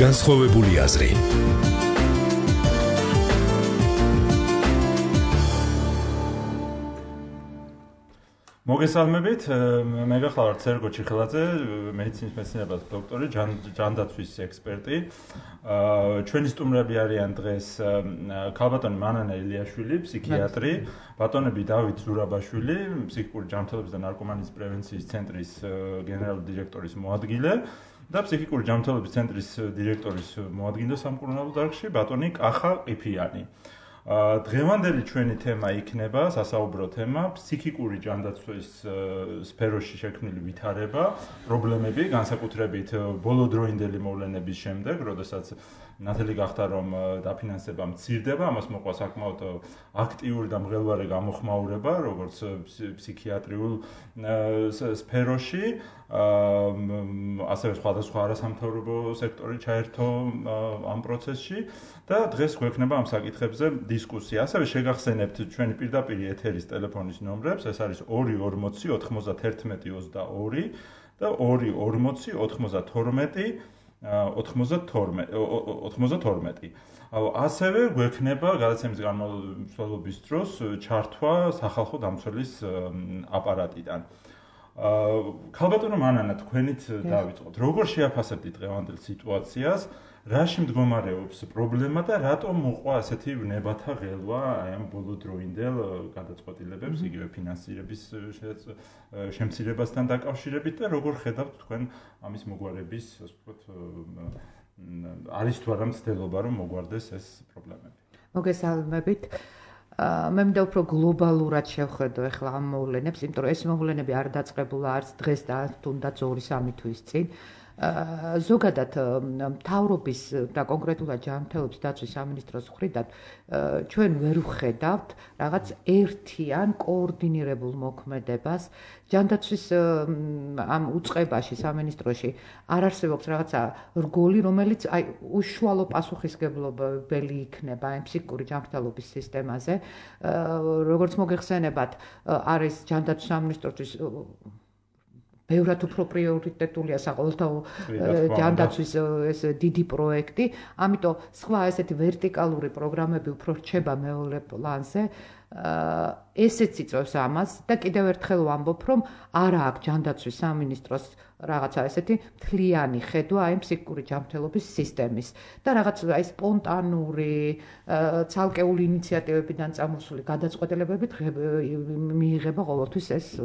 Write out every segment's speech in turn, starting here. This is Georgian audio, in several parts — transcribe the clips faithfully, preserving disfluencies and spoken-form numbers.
განსხვავებული აზრი. მოგესალმებით, მე გახლავართ სერგო ჩიხელაძე, მედიცინის მეცნიერებათა დოქტორი, ჯანდაცვის ექსპერტი. ჩვენი სტუმრები არიან დღეს ქალბატონი მანანა ილიაშვილი, ფსიქიატრი, ბატონები დავით ზურაბაშვილი, ფსიქიკური ჯანმრთელობის და ნარკომანიის პრევენციის ცენტრის გენერალური დირექტორის მოადგილე და ფსიქიკური ჯანმრთელობის ცენტრის დირექტორის მოადგილე სამკურნალო დარგში ბატონი კახა ყიფიანი. დღევანდელი ჩვენი თემა იქნება სასაუბრო თემა ფსიქიკური ჯანდაცვის სფეროში შექმნილი ვითარება, პრობლემები, განსაკუთრებით ბოლოდროინდელი მოვლენების შემდეგ, როდესაც ნათელი გახდა რომ დაფინანსება მცირდება, ამას მოყვა საკმაოდ აქტიური და მღელვარე გამოხმაურება, როგორც ფსიქიატრიულ სფეროში, ასევე სხვადასხვა არასამთავრობო სექტორი ჩაერთო ამ პროცესში და დღეს გვექნება ამ საკითხებზე დისკუსია. ასევე შეგახსენებთ ჩვენი პირდაპირ ეთერის ტელეფონის ნომრებს, ეს არის ორი ორმოცი ოთხმოცდაერთმეტი ოცდაორი და ორი ორმოცი ოთხმოცდათორმეტი ოცდათორმეტი. ასევე გვექნება გადაცემის განმავლობის დროს ჩართვა სახალხო დამცველის აპარატიდან. ქალბატონო მანანა, თქვენით დავიწყოთ. როგორ შეაფასებთ დღევანდელ სიტუაციას? რაში მდგომარეობს პრობლემა და რატომ მოყვა ასეთი ვნებათა ღელვა აი ამ ბოლოდროინდელ გადაწყვეტილებებს, იგივე ფინანსირების შემცირებასთან დაკავშირებით და როგორ ხედავთ თქვენ ამის მოგვარების, ასე ვთქვათ, არის თუ არა მცდელობა რომ მოგვარდეს ეს პრობლემები? მოგესალმებით. მე მინდა უფრო გლობალურად შევხედო ახლა ამ მოვლენებს, იმიტომ რომ ეს მოვლენები არ დაწყებულა არც დღეს და თუნდაც ორი სამი თვის წინ. ზოგადად მთავრობის და კონკრეტულად ჯანმრთელობის დაცვის სამინისტროს მხრიდან ჩვენ ვერ ვხედავთ რაღაც ერთიან კოორდინირებულ მოქმედებას. ჯანდაცვის ამ უწყებაში სამინისტროში არ არსებობს რაღაცა რგოლი, რომელიც აი უშუალო პასუხისმგებლობელი იქნება ამ ფსიქიკური ჯანმრთელობის სისტემაზე. როგორც მოგეხსენებათ, არის ჯანდაცვის სამინისტროსთვის ბევრად უფრო პრიორიტეტულია საყოველთაო ჯანდაცვის ეს დიდი პროექტი, ამიტომ სხვა ესეთი ვერტიკალური პროგრამები უფრო რჩება მეორე პლანზე. ესეც იწვევს ამას და კიდევ ერთხელ ვამბობ, რომ არა აქვს ჯანდაცვის სამინისტროს რაღაცა ესეთი მთლიანი ხედვა აი ფსიქიკური ჯანმრთელობის სისტემის და რაღაც აი სპონტანური ცალკეული ინიციატივებიდან წამოსული გადაწყვეტილებებით მიიღება ყოველთვის ეს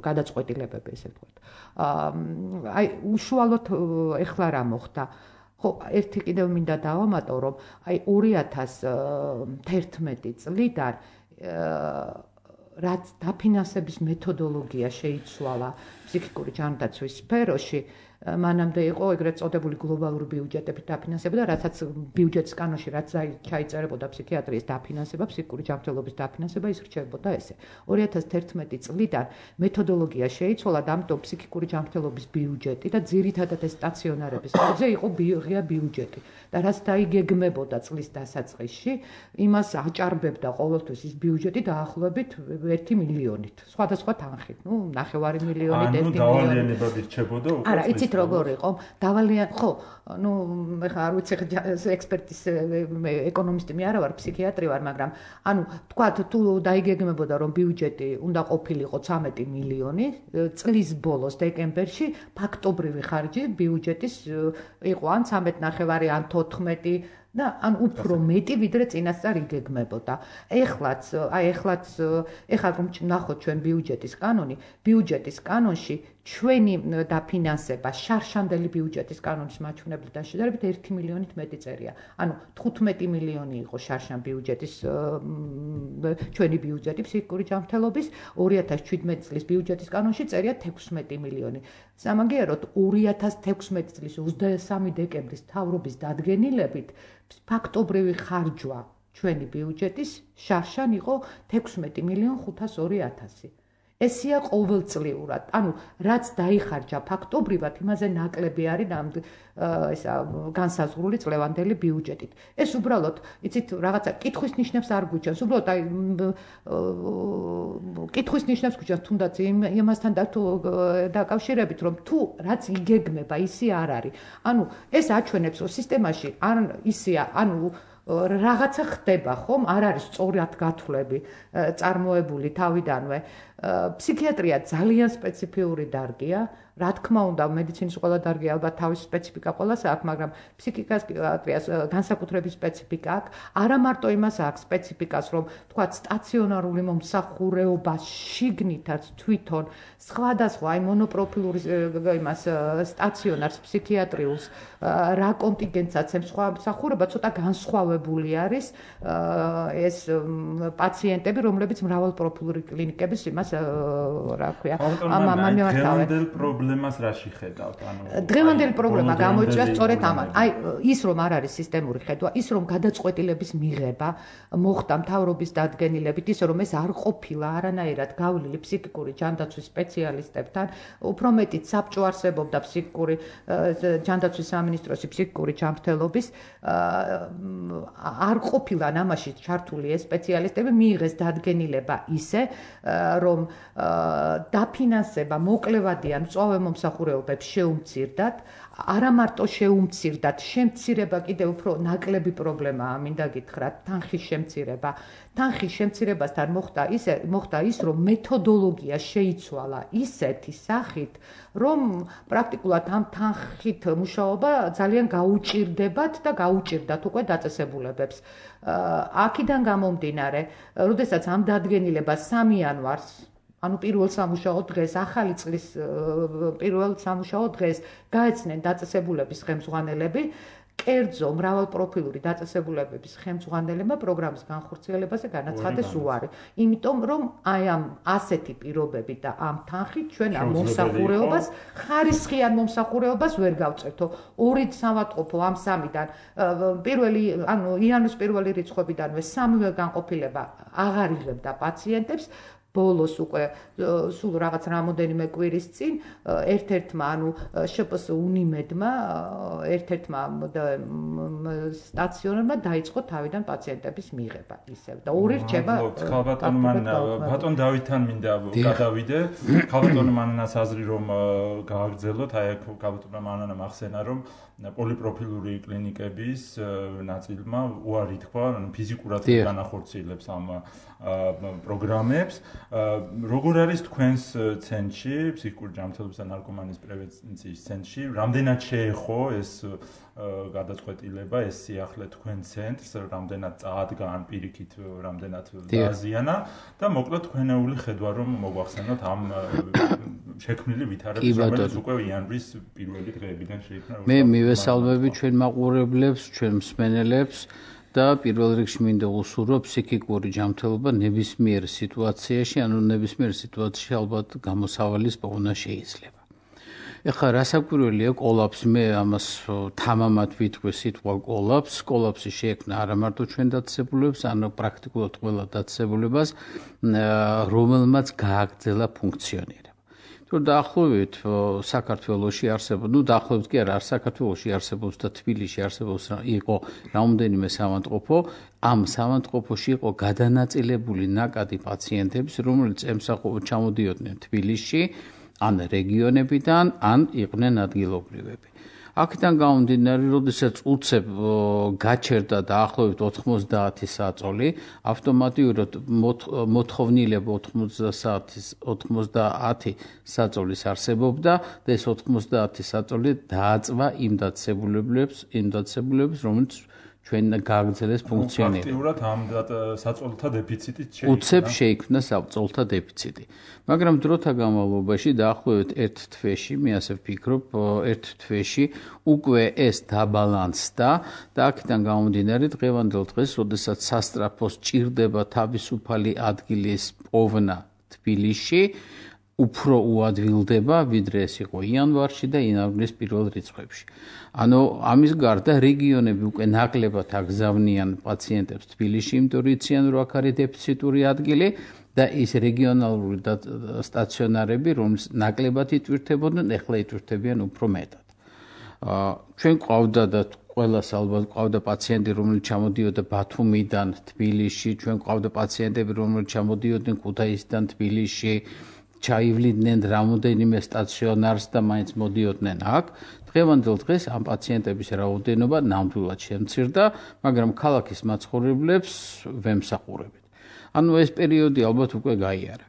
გადაწყვეტილებები, ესე ვთქვათ. აი უშუალოდ ეხლა რა მოხდა? ხო, ერთი კიდევ მინდა დავამატო, რომ აი ორი ათას თერთმეტი წლიდან რაც დაფინანსების მეთოდოლოგია შეიცვალა ფსიქიკური ჯანდაცვის სფეროში, მანამდე იყო ეგრეთ წოდებული გლობალური ბიუჯეტებით დაფინანსება და რასაც ბიუჯეტის კანონში რაც ჩაიწერებოდა ფსიქიატრიის დაფინანსება, ფსიქიკური ჯანმრთელობის დაფინანსება, ის რჩებოდა ესე. ორი ათას თერთმეტი წლიდან მეთოდოლოგია შეიცვალა და ამიტომ ფსიქიკური ჯანმრთელობის ბიუჯეტი და ძირითადად ეს სტაციონარების ხარჯზე იყო ღია ბიუჯეტი და რაც დაიგეგმებოდა წლის დასაწყისში, იმას აჭარბებდა ყოველთვის ის ბიუჯეტი დაახლოებით ერთი მილიონით, სხვადასხვა თანხით, ნუ ნახევარი მილიონით, ერთი მილიონით. ანუ დავალიანებად ირჩებოდა უკვე. არა, იცით როგორ იყო? დავალიან, ხო, ნუ მე ხა არ ვიცი ექსპერტის ეკონომისტი მე არა ვარ, ფსიქიატრი ვარ, მაგრამ ანუ თქვათ თუ დაიგეგმებოდა რომ ბიუჯეტი უნდა ყოფილიყო ცამეტი მილიონი, წლის ბოლოს დეკემბერში ფაქტობრივი ხარჯი ბიუჯეტის იყო ან ცამეტი ნახევარი ან თოთხმეტი და ან უფრო მეტი ვიდრე წინასწარ იგეგმებოდა. ეხლაც, აი ეხლაც, ეხლა რომ ნახოთ ჩვენ ბიუჯეტის კანონი, ბიუჯეტის კანონში ჩვენი დაფინანსება შარშანდელი ბიუჯეტის კანონის მაჩვენებლიდან შედარებით ერთი მილიონით მეტი წერია. ანუ თხუთმეტი მილიონი იყო შარშან ბიუჯეტის ჩვენი ბიუჯეტი ფსიქიკური ჯანმრთელობის, ორი ათას შვიდმეტი წლის ბიუჯეტის კანონში წერია თექვსმეტი მილიონი. სამაგიეროდ ორი ათას თექვსმეტი წლის ოცდამესამე დეკემბრის მთავრობის დადგენილებით ფაქტობრივი ხარჯვა ჩვენი ბიუჯეტის შარშან იყო თექვსმეტი მილიონ ხუთას ორი ათასი. ესია ყოველწლიურად. ანუ რაც დაიხარჯა ფაქტობრივად, იმაზე ნაკლები არის ამ ესა განსაზღვრული წლევანდელი ბიუჯეტით. ეს უბრალოდ, იცით, რაღაცა კითხვის ნიშნებს არ გვიჩვენს. უბრალოდ აი კითხვის ნიშნებს გვიჩვენს თუნდაც იმასთან დაკავშირებით, რომ თუ რაც იგეგმება, ისი არ არის. ანუ ეს აჩვენებს, რომ სისტემაში არ ისია, ანუ რაღაცა ხდება, ხომ? არ არის სწორად გათვლები წარმოებული თავიდანვე. ფსიქიატრია ძალიან სპეციფიური დარგია. რა თქმა უნდა, მედიცინის ყველა დარგი ალბათ თავის სპეციფიკა ყველას აქვს, მაგრამ ფსიქიატრიას განსაკუთრების სპეციფიკა აქვს. არა მარტო იმას აქვს სპეციფიკას, რომ თქვა სტაციონარული მომსახურეობა შიგნითაც თვითონ სხვადასხვა აი მონოპროფილური იმას სტაციონარს ფსიქიატრიულს რა კონტინგენტს აცემს სხვა მსახურება, ცოტა განსხვავებული არის ეს პაციენტები, რომლებიც მრავალპროფილური კლინიკების იმას რა ქვია, ამამამემართავენ. პრობლემას რაში ხედავთ? ანუ დღევანდელი პრობლემა გამოიწვია სწორედ ამან. აი ის რომ არ არის სისტემური ხედვა, ის რომ გადაწყვეტილების მიღება მოხდა მთავრობის დადგენილებით, ისე რომ ეს არ ყოფილა არანაირად გავლილი ფსიქიკური ჯანდაცვის სპეციალისტებთან, უფრო მეტიც საბჭო არსებობდა ფსიქიკური ჯანდაცვის სამინისტროსი ფსიქიკური ჯანმრთელობის, არ ყოფილან ამაში ჩართული ეს სპეციალისტები, მიიღეს დადგენილება ისე, რომ დაფინანსება მოკლევადიან მწვავე მომსახურეობებს შეუმცირდათ, არა მარტო შეუმცირდათ, შემცირება კიდევ უფრო ნაკლები პრობლემაა, მინდა გითხრათ, თანხის შემცირება. თანხის შემცირებასთან მოხდა ისე, მოხდა ის, რომ მეთოდოლოგია შეიცვალა ისეთი სახით, რომ პრაქტიკულად ამ თანხით მუშაობა ძალიან გაუჭირდებათ და გაუჭირდათ უკვე დაწესებულებებს. აქედან გამომდინარე, როდესაც ამ დადგენილებას სამი იანვარს ანუ პირველ სამუშაო დღეს, ახალი წლის პირველ სამუშაო დღეს გაეცნენ დაწესებულების ხელმძღვანელები, კერძო მრავალპროფილური დაწესებულებების ხელმძღვანელებმა პროგრამის განხორციელებაზე განაცხადეს უარი. იმიტომ რომ აი ამ ასეთი პირობები და ამ თანხით ჩვენ ამ მომსახურეობას, ხარისხიან მომსახურეობას ვერ გავწევთო. ორი სამავტყოფო ამ სამიდან პირველი, ანუ იანვრის პირველი რიცხვებიდანვე სამივე განყოფილება აღარ იღებდა პაციენტებს. ბოლოს უკვე სულ რაღაც რამოდენიმე კვირის წინ ერთ-ერთმა, ანუ შპს უნიმედმა, ერთ-ერთმა სტაციონარმა დაიწყო თავიდან პაციენტების მიღება ისევ და ორი რჩება. ხალბატონ მანანა, ბატონ დავითთან მინდა გადავიდე. ხალბატონ მანანას აზრი რომ გააგრძელოთ, აი აქ ხალბატონ მანანამ ახსენა რომ პოლიპროფილური კლინიკების ნაწილმა უარი თქვა, ანუ ფიზიკურად განახორციელებს ამ პროგრამებს. როგორ არის თქვენს ცენტრში, ფსიქიკური ჯანმრთელობის და ნარკომანიის პრევენციის ცენტრში, რამდენად შეეხო ეს გადაწყვეტილება, ეს სიახლე თქვენ ცენტრს, რამდენად წაადგა ან პირიქით რამდენად დააზიანა და მოკლედ თქვენეული ხედვა რომ მოგვახსენოთ ამ შექმნილი ვითარების, რომელიც უკვე იანვრის პირველი დღეებიდან შეიქმნა. მე მივესალმები ჩვენ მაყურებლებს, ჩვენ მსმენელებს და პირველ რიგში მინდა უსურვო ფსიქიკური ჯანმრთელობა ნებისმიერ სიტუაციაში, ანუ ნებისმიერ სიტუაციაში ალბათ გამოსავალის პოვნა შეიძლება. ეხლა რასაკვირველია კოლაფსი, მე ამას თამამად ვიტყვი სიტყვა კოლაფს, კოლაფსი შეექმნა არა მარტო ჩვენ დაწესებულებებს, ანუ პრაქტიკულად ყველა დაწესებულებას, რომელმაც გააგრძელა ფუნქციონირება. დაახლოებით საქართველოში არსებობს, ну დაახლოებით კი არა, საქართველოში არსებობს და თბილისში არსებობს იყო რამოდენიმე სამავტყოფო, ამ სამავტყოფოში იყო გადანაწილებული ნაკადი პაციენტების, რომელიც ემსახურებოდა ჩამოდიოდნენ თბილისში, ან რეგიონებიდან, ან იყვნენ ადგილობრივები. აქედან გამომდინარე, როდესაც უცებ გაჩერდა დაახლოებით ოთხმოცდაათი საწოლი, ავტომატურად მოთხოვნილება ოთხმოცდაათი საწოლის არსებობდა და ეს ოთხმოცდაათი საწოლი დააწვა იმ დაწესებულებას, იმ დაწესებულებას, რომელიც ჩვენ გააგრძელეს ფუნქციონირება. ფაქტიურად ამ საწოლთა დეფიციტით შეიქმნა. უცებ შეიქმნა საწოლთა დეფიციტი. მაგრამ დროთა განმავლობაში დაახლოებით ერთ თვეში, მე ასე ვფიქრობ, ერთ თვეში უკვე ეს დაბალანსდა და აქედან გამომდინარე დღევანდელ დღეს, როდესაც სასტრაფოს ჭირდება თავისუფალი ადგილის პოვნა თბილისში, უფრო უადვილდება, ვიდრე ეს იყო იანვარში და იანვრის პირველ რიცხვებში. ანუ ამის გარდა რეგიონები უკვე ნაკლებად აგზავნიან პაციენტებს თბილისში, იმიტომ რომ იციან, რომ აქ არის დეფიციტური ადგილი და ის რეგიონალური სტაციონარები, რომლის ნაკლებად იტვირთებოდნენ, ეხლა იტვირთებიან უფრო მეტად. ჩვენ ყავდა და ყველას ალბათ ყავდა პაციენტი, რომელიც ჩამოდიოდა ბათუმიდან თბილისში, ჩვენ ყავდა პაციენტები, რომლებიც ჩამოდიოდნენ ქუთაისიდან თბილისში, ჩაივლიდნენ რამოდენიმე სტაციონარს და მაინც მოდიოდნენ აქ. დღევანდელ დღეს ამ პაციენტების რაოდენობა ნამდვილად შემცირდა, მაგრამ ქალაქის მაცხოვრებლებს ვემსახურებით. ანუ ეს პერიოდი ალბათ უკვე გაიარა.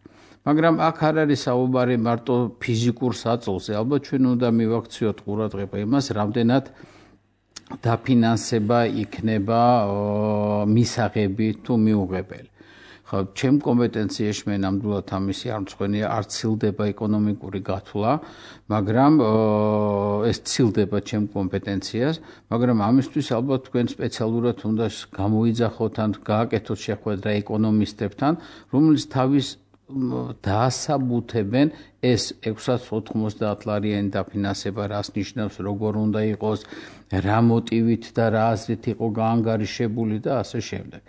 მაგრამ აქ არ არის საუბარი მარტო ფიზიკურ საწოლზე, ალბათ ჩვენ უნდა მივაქციოთ ყურადღება იმას, რამდენად დაფინანსება იქნება მისაღები თუ მიუღებელი. ხო, ჩემ კომპეტენციაში მე ნამდვილად ამისი არ მწვენია, არ ცილდება ეკონომიკური გათვლა, მაგრამ ეს ცილდება ჩემ კომპეტენციას, მაგრამ ამისთვის ალბათ თქვენ სპეციალურად უნდა გამოიძახოთ ან გააკეთოთ შეხვედრა ეკონომისტებთან, რომლის თავის დაასაბუთებენ ეს ექვსას ოცდაოთხმოცდაათლარიანი დაფინანსება რას ნიშნავს, როგორ უნდა იყოს, რა მოტივით და რა აზრით იყო გაანგარიშებული და ასე შემდეგ.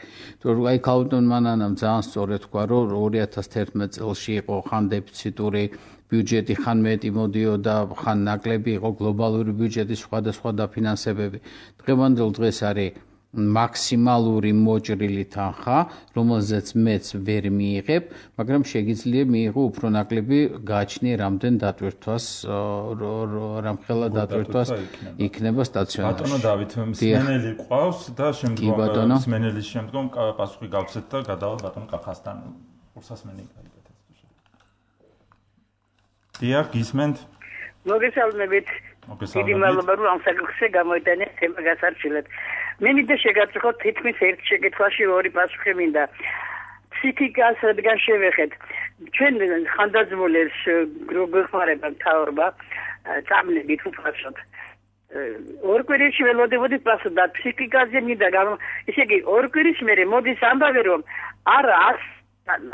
თორემ აი ქალბატონ მანანამ ძალიან სწორად თქვა, რომ ორი ათას თერთმეტ წელში იყო ხან დეფიციტური ბიუჯეტი, ხან მეტი მოდიოდა, ხან ნაკლები იყო გლობალური ბიუჯეტის სხვადასხვა დაფინანსებები. დღევანდელ დღეს არის მაქსიმალური მოჭრილი თანხა, რომელზეც მეც ვერ მიიღებ, მაგრამ შეგიძლია მიიღო უფრო ნაკლები, გააჩნია რამდენ დატვირთვას, რამხელა დატვირთვას იქნება სტაციონარში. ბატონო დავით, მსმენელი ყავს და შემდგომ მსმენელის შემდგომ პასუხი გავცეთ და გადავალ ბატონ კახასთან. ურსასმენი გაიგეთ. დიახ, გისმენთ? მოგესალმებით. დიდი მადლობა რომ ამ საკითხზე გამოიტანეთ თემა გასარჩილად. მე მინდა შეგაწყვეტ თითქმის ერთ შეკითხვაში ორი პასუხი მინდა. ფსიქიკას რადგან შევეხეთ. ჩვენ ხანდაზმულებს გვეხმარება მთავრობა წამლებით უბრალოდ. ორ კვირაში ველოდებოდით პასუხი და ფსიქიკაზე მინდა ისე იგი ორ კვირის მერე მოდის ამბავი რომ არ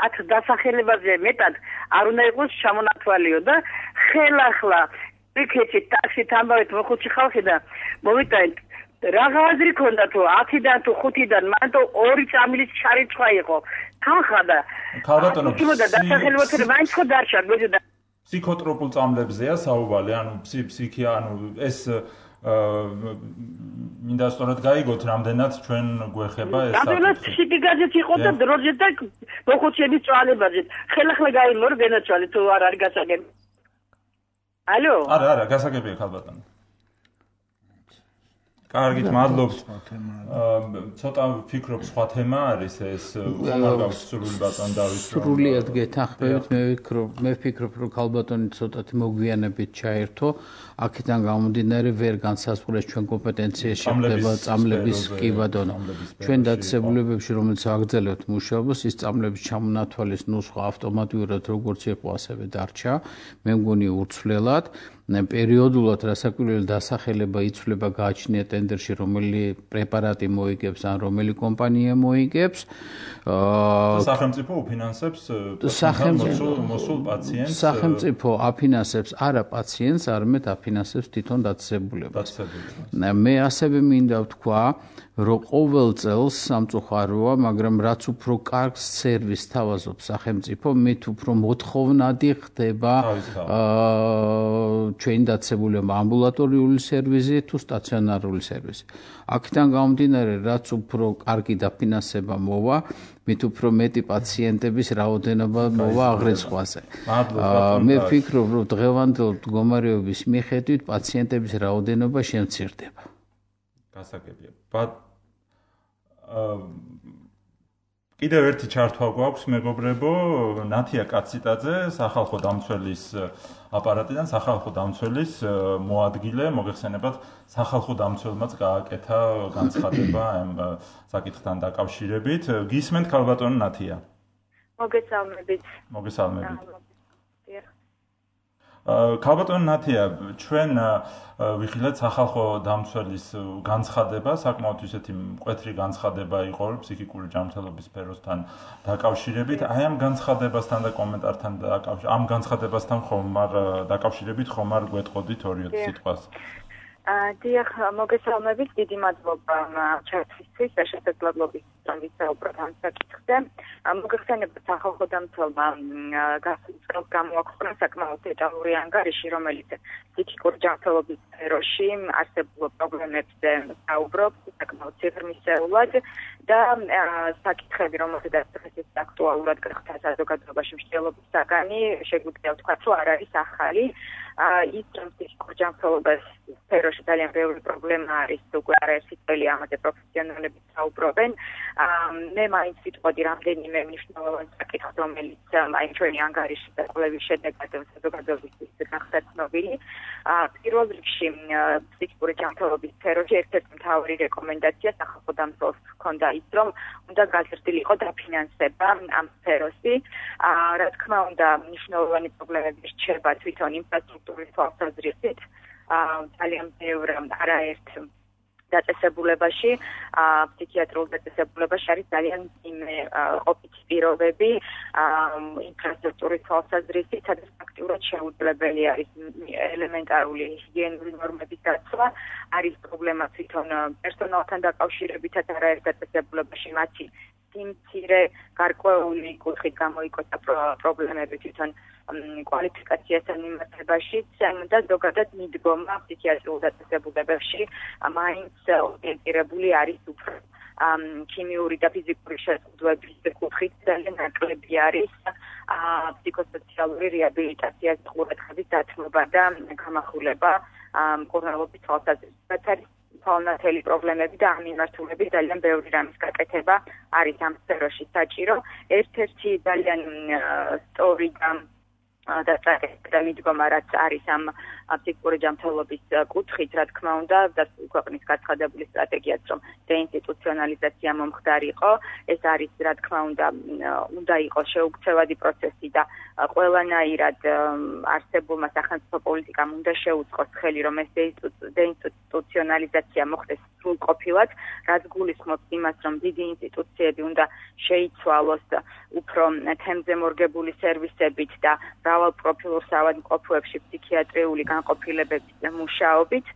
ათ დასახელებაზე მეტად არ უნდა იყოს ჩამონათვალიო და ხელახლა იქეთი ტაქსით ამბავით მოხუცი ხალხი და მოვიტანეთ რაღა აზრი ქონდა თუ ათიდან თუ ხუთიდან მანდ ორი წამლის ჩარიცხვა იყო თანხა და ქალბატონო თუმცა დასახელებაზე მაინც ხო დარჩა გვეძდა ფსიქოტროპულ წამლებზეა საუბარი ანუ ფსიქია ანუ ეს მინდა სწორად გაიგოთ რამდენად ჩვენ გვეხება ეს საკითხი. რამდენად ფსიქიკაზეც იყო და დროზე და მოხუცების წვალებაზე. ხელახლა გაიმორ გენაცვალე თუ არ არის გასაგები. ალო? არა, არა, გასაგებია ქალბატონო. კარგით, მადლობთ. ცოტა ვფიქრობ სხვა თემა არის ეს ხომარ გაქვს სრული ბატონ დავით. სრულიად გეთანხმებით, მე ვფიქრობ, მე ვფიქრობ, რომ ქალბატონი ცოტათი მოგვიანებით ჩაერთო, აქედან გამომდინარე ვერ განსაზღვრეს ჩვენ კომპეტენციაში ხდება წამლების კი ბატონო. ჩვენ დაწესებულებებში, რომელიც აგრძელებთ მუშაობას, ის წამლების ჩამონათვალის ნუსხა ავტომატურად როგორც იყო, ასევე დარჩა. მე მგონი უცვლელად პერიოდულად რასაკვირველი დასახელება იცვლება გააჩნია ტენდერში რომელი პრეპარატი მოიგებს ან რომელი კომპანია მოიგებს სახელმწიფო უფინანსებს მოსულ პაციენტს სახელმწიფო აფინანსებს არა პაციენტს არამედ აფინანსებს თვითონ დაწესებულებას მე ასევე მინდა ვთქვა რომ ყოველ წელს სამწუხაროა მაგრამ რაც უფრო კარგ სერვისს თავაზობს სახელმწიფო მით უფრო მოთხოვნადი ხდება ჩვენი დაწესებულება ამბულატორიული სერვისი თუ სტაციონარული სერვისი. აქედან გამომდინარე, რაც უფრო კარგი დაფინანსება მოვა, მით უფრო მეტი პაციენტების რაოდენობა მოვა აღრიცხვაზე. მე ვფიქრობ, რომ დღევანდელ მდგომარეობის მიხედვით პაციენტების რაოდენობა შემცირდება. გასაგებია. ბატ კიდევ ერთი ჩართვა გვაქვს მეგობრებო, ნათია კაციტაძე, სახალხო დამცველის აპარატიდან სახალხო დამცველის მოადგილე, მოგეხსენებათ, სახალხო დამცველმაც გააკეთა განცხადება ამ საკითხთან დაკავშირებით. გისმენთ ქალბატონო ნათია? მოგესალმებით. მოგესალმებით. ქალბატონ ნათია, ჩვენ ვიხილეთ სახალხო დამცველის განცხადება, საკმაოდ ისეთი მკვეთრი განცხადება იყო ფსიქიკური ჯანმრთელობის სფეროსთან დაკავშირებით. აი ამ განცხადებასთან და კომენტართან დაკავშირებით, ამ განცხადებასთან ხომარ დაკავშირებით ხომარ გვეტყოდით ორი-ოთხ სიტყვას. დიახ, მოგესალმებით, დიდი მადლობა ჩართვისთვის და შესაძლებლობის ვისაუბროთ ამ საკითხზე. მოგეხსენებათ სახალხო დამცველმა გასულ წელს გამოაქვეყნა საკმაოდ დეტალური ანგარიში, რომელიც ფსიქიკური ჯანმრთელობის სფეროში არსებულ პრობლემებზე საუბრობს, საკმაოდ ციფრმისეულად და საკითხები, რომელზედაც დღესაც აქტუალურად გახდა საზოგადოებაში მსჯელობის საგანი, შეგვიძლია ვთქვათ, რომ არ არის ახალი. ის ფსიქიკური ჯანმრთელობის სფეროში ძალიან ბევრი პრობლემა არის, უკვე არაერთი წელი ამაზე პროფესიონალები საუბრობენ. მე მაინც ვიტყოდი რამდენიმე მნიშვნელოვან საკითხს, რომელიც აი ჩვენი ანგარიშის და კვლევის შედეგად საზოგადოებისთვის გახდა ცნობილი. პირველ რიგში ფსიქიკური ჯანმრთელობის სფეროში ერთ-ერთი მთავარი რეკომენდაცია სახალხო დამცველს ჰქონდა ის, რომ უნდა გაზრდილიყო დაფინანსება ამ სფეროში. რა თქმა უნდა, მნიშვნელოვანი პრობლემები რჩება თვითონ ინფრასტრუქტურის თვალსაზრისით. ძალიან ბევრ არაერთ დაწესებულებაში, ფსიქიატრიულ დაწესებულებაში არის ძალიან მძიმე ყოფითი პირობები, ინფრასტრუქტურის თვალსაზრისით, სადაც ფაქტიურად შეუძლებელი არის ელემენტარული ჰიგიენური ნორმების დაცვა, არის პრობლემა თვითონ პერსონალთან დაკავშირებითაც არაერთ დაწესებულებაში მათი სიმცირე, გარკვეული კუთხით გამოიკოთა პრობლემები თვითონ კვალიფიკაციასთან მიმართებაშიც და ზოგადად მიდგომა ფსიქიატრიულ დაწესებულებებში მაინც ორიენტირებული არის უფრო ქიმიური და ფიზიკური შეზღუდვების კუთხით ძალიან ნაკლები არის ფსიქოსოციალური რეაბილიტაციას ყურადღების დათმობა და გამახვილება მკურნალობის თვალსაზრისით არის თვალნათელი პრობლემები და ამ მიმართულებით ძალიან ბევრი რამის გაკეთება არის ამ სფეროში საჭირო. ერთ-ერთი ძალიან სწორი და და მიდგომა რაც არის ამ ფსიქიკური ჯანმრთელობის კუთხით, რა თქმა უნდა, და ქვეყნის გაცხადებული სტრატეგიაც, რომ დეინსტიტუციონალიზაცია მომხდარიყო, ეს არის, რა თქმა უნდა, უნდა იყოს შეუქცევადი პროცესი და ყველანაირად არსებულმა სახელმწიფო პოლიტიკამ უნდა შეუწყოს ხელი, რომ ეს დეინსტიტუციონალიზაცია მოხდეს სრულყოფილად, რაც გულისხმობს იმას, რომ დიდი ინსტიტუციები უნდა შეიცვალოს უფრო თემზე მორგებული სერვისებით და მრავალ პროფილურ საავადმყოფოებში ფსიქიატრიული განყოფილებების მუშაობით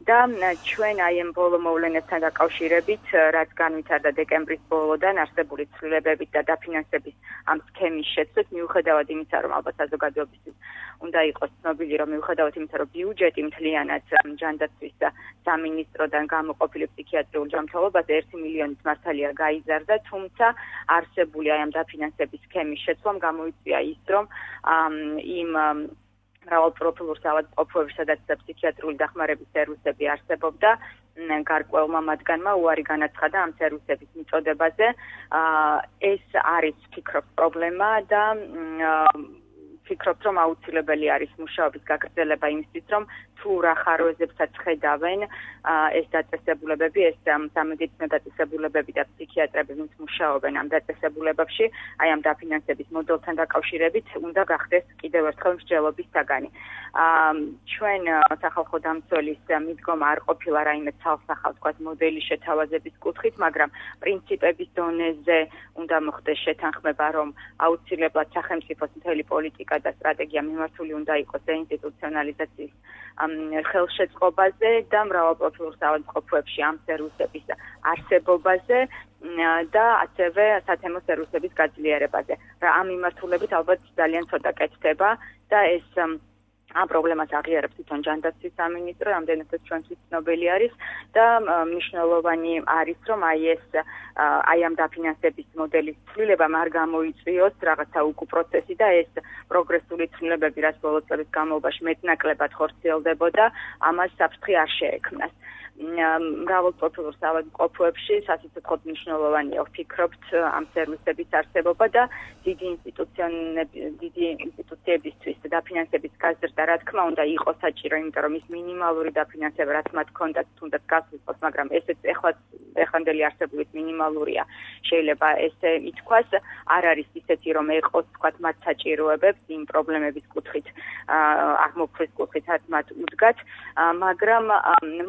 და ჩვენ აი ამ ბოლო მოვლენებთან დაკავშირებით, რაც განვითარდა დეკემბრის ბოლოდან არსებული ცვლილებებით და დაფინანსების ამ სქემის შეცვლით, მიუხედავად იმისა, რომ ალბათ საზოგადოებისთვის უნდა იყოს ცნობილი, რომ მიუხედავად იმისა, რომ ბიუჯეტი მთლიანად ჯანდაცვის სამინისტროდან გამოყოფილი ფსიქიატრიულ ჯანმრთელობაზე ერთი მილიონით მართალია გაიზარდა, თუმცა არსებული აი ამ დაფინანსების სქემის შეცვლამ გამოიწვია ის, რომ იმ მრავალ პროფილურ საავადმყოფოებში, სადაც ფსიქიატრიული დახმარების სერვისები არსებობდა, გარკვეულმა მათგანმა უარი განაცხადა ამ სერვისების მიწოდებაზე. ეს არის ფიქრობ პრობლემა და ვფიქრობთ, რომ აუცილებელი არის მუშაობის გაგრძელება იმისთვის, რომ თუ რა ხარვეზებსაც ხედავენ ეს დაწესებულებები, ეს სამედიცინო დაწესებულებები და ფსიქიატრები, ვინც მუშაობენ ამ დაწესებულებებში, აი ამ დაფინანსების მოდელთან დაკავშირებით, უნდა გახდეს კიდევ ერთხელ მსჯელობის საგანი. ჩვენ სახალხო დამცველის მიდგომა არ ყოფილა რაიმე ცალსახად თქვათ მოდელის შეთავაზების კუთხით, მაგრამ პრინციპების დონეზე უნდა მოხდეს შეთანხმება, რომ აუცილებლად სახელმწიფოს მთელი პოლიტიკა და სტრატეგია მიმართული უნდა იყოს დეინსტიტუციონალიზაციის ხელშეწყობაზე და მრავალპროფილურ საავადმყოფოებში ამ სერვისების არსებობაზე და ასევე სათემო სერვისების გაძლიერებაზე. ამ მიმართულებით ალბათ ძალიან ცოტა კეთდება და ეს ამ პრობლემას აღიარებს თვითონ ჯანდაცვის სამინისტრო, რამდენადაც ჩვენთვის ცნობილი არის და მნიშვნელოვანი არის, რომ აი ეს აი ამ დაფინანსების მოდელის ცვლილებამ არ გამოიწვიოს რაღაცა უკუ პროცესი და ეს პროგრესული ცვლილებები, რაც ბოლო წლების განმავლობაში მეტნაკლებად ხორციელდებოდა, ამას საფრთხე არ შეექმნას. მრავალ პროფილურ საავადმყოფოებში სასიცოცხლოდ მნიშვნელოვანია ვფიქრობთ ამ სერვისების არსებობა და დიდი დიდი ინსტიტუციებისთვის დაფინანსების გაზრდა, რა თქმა უნდა, იყო საჭირო, იმიტომ რომ ის მინიმალური დაფინანსება, რაც მათ ჰქონდათ, თუნდაც გასულიყოს, მაგრამ ესეც ეხლა ეხანდელი არსებულით მინიმალურია. შეიძლება ესე ითქვას, არ არის ისეთი რომ ეყოს თქვათ მათ საჭიროებებს იმ პრობლემების კუთხით, აღმოფხვის კუთხით მათ უდგათ, მაგრამ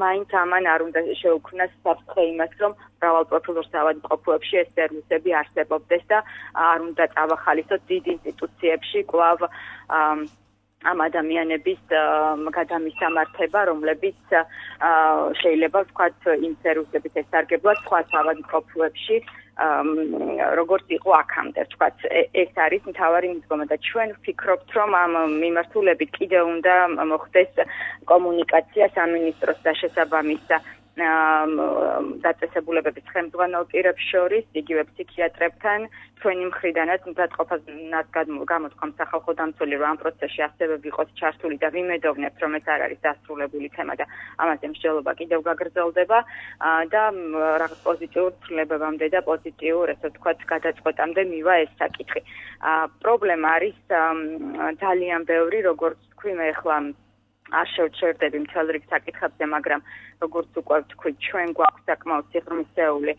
მაინც ამან არ უნდა შეუქმნას საფრთხე იმას, რომ მრავალპროფილურ საავადმყოფოებში ეს სერვისები არსებობდეს და არ უნდა წავახალისოთ დიდ ინსტიტუციებში კვლავ ამ ადამიანების გადამისამართება, რომლებიც შეიძლება ვთქვათ იმ სერვისებით ესარგებლად სხვა საავადმყოფოებში, როგორც იყო აქამდე, ვთქვათ, ეს არის მთავარი მიდგომა და ჩვენ ვფიქრობთ, რომ ამ მიმართულებით კიდევ უნდა მოხდეს კომუნიკაცია სამინისტროს და შესაბამის დაწესებულებების ხელმძღვანელ პირებს შორის, იგივე ფსიქიატრებთან, ჩვენი მხრიდანაც მზადყოფას გამოთქვამ სახალხო დამცველი, რომ ამ პროცესში ასევე ვიყოთ ჩართული და ვიმედოვნებთ, რომ ეს არ არის დასრულებული თემა და ამაზე მსჯელობა კიდევ გაგრძელდება და რაღაც პოზიტიურ ცვლილებებამდე და პოზიტიურ, ესე ვთქვათ, გადაწყვეტამდე მივა ეს საკითხი. პრობლემა არის ძალიან ბევრი, როგორც თქვი, მე ახლა არ შევჩერდები მთელ რიგ საკითხებზე, მაგრამ როგორც უკვე ვთქვით, ჩვენ გვაქვს საკმაოდ სიღრმისეული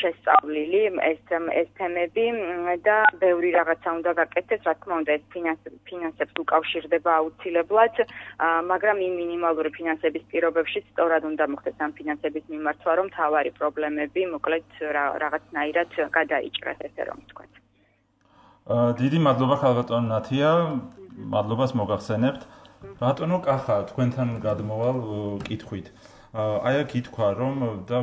შესწავლილი ეს ეს თემები და ბევრი რაღაცა უნდა გაკეთდეს, რა თქმა უნდა, ეს ფინანსებს უკავშირდება აუცილებლად, მაგრამ იმ მინიმალური ფინანსების პირობებში სწორად უნდა მოხდეს ამ ფინანსების მიმართვა, რომ თავარი პრობლემები მოკლედ რაღაცნაირად გადაიჭრას, ესე რომ ვთქვათ. დიდი მადლობა ხალბატონ ნათია, მადლობას მოგახსენებთ. ბატონო კახა, თქვენთან გადმოვალ კითხვით. აი აქ ითქვა, რომ და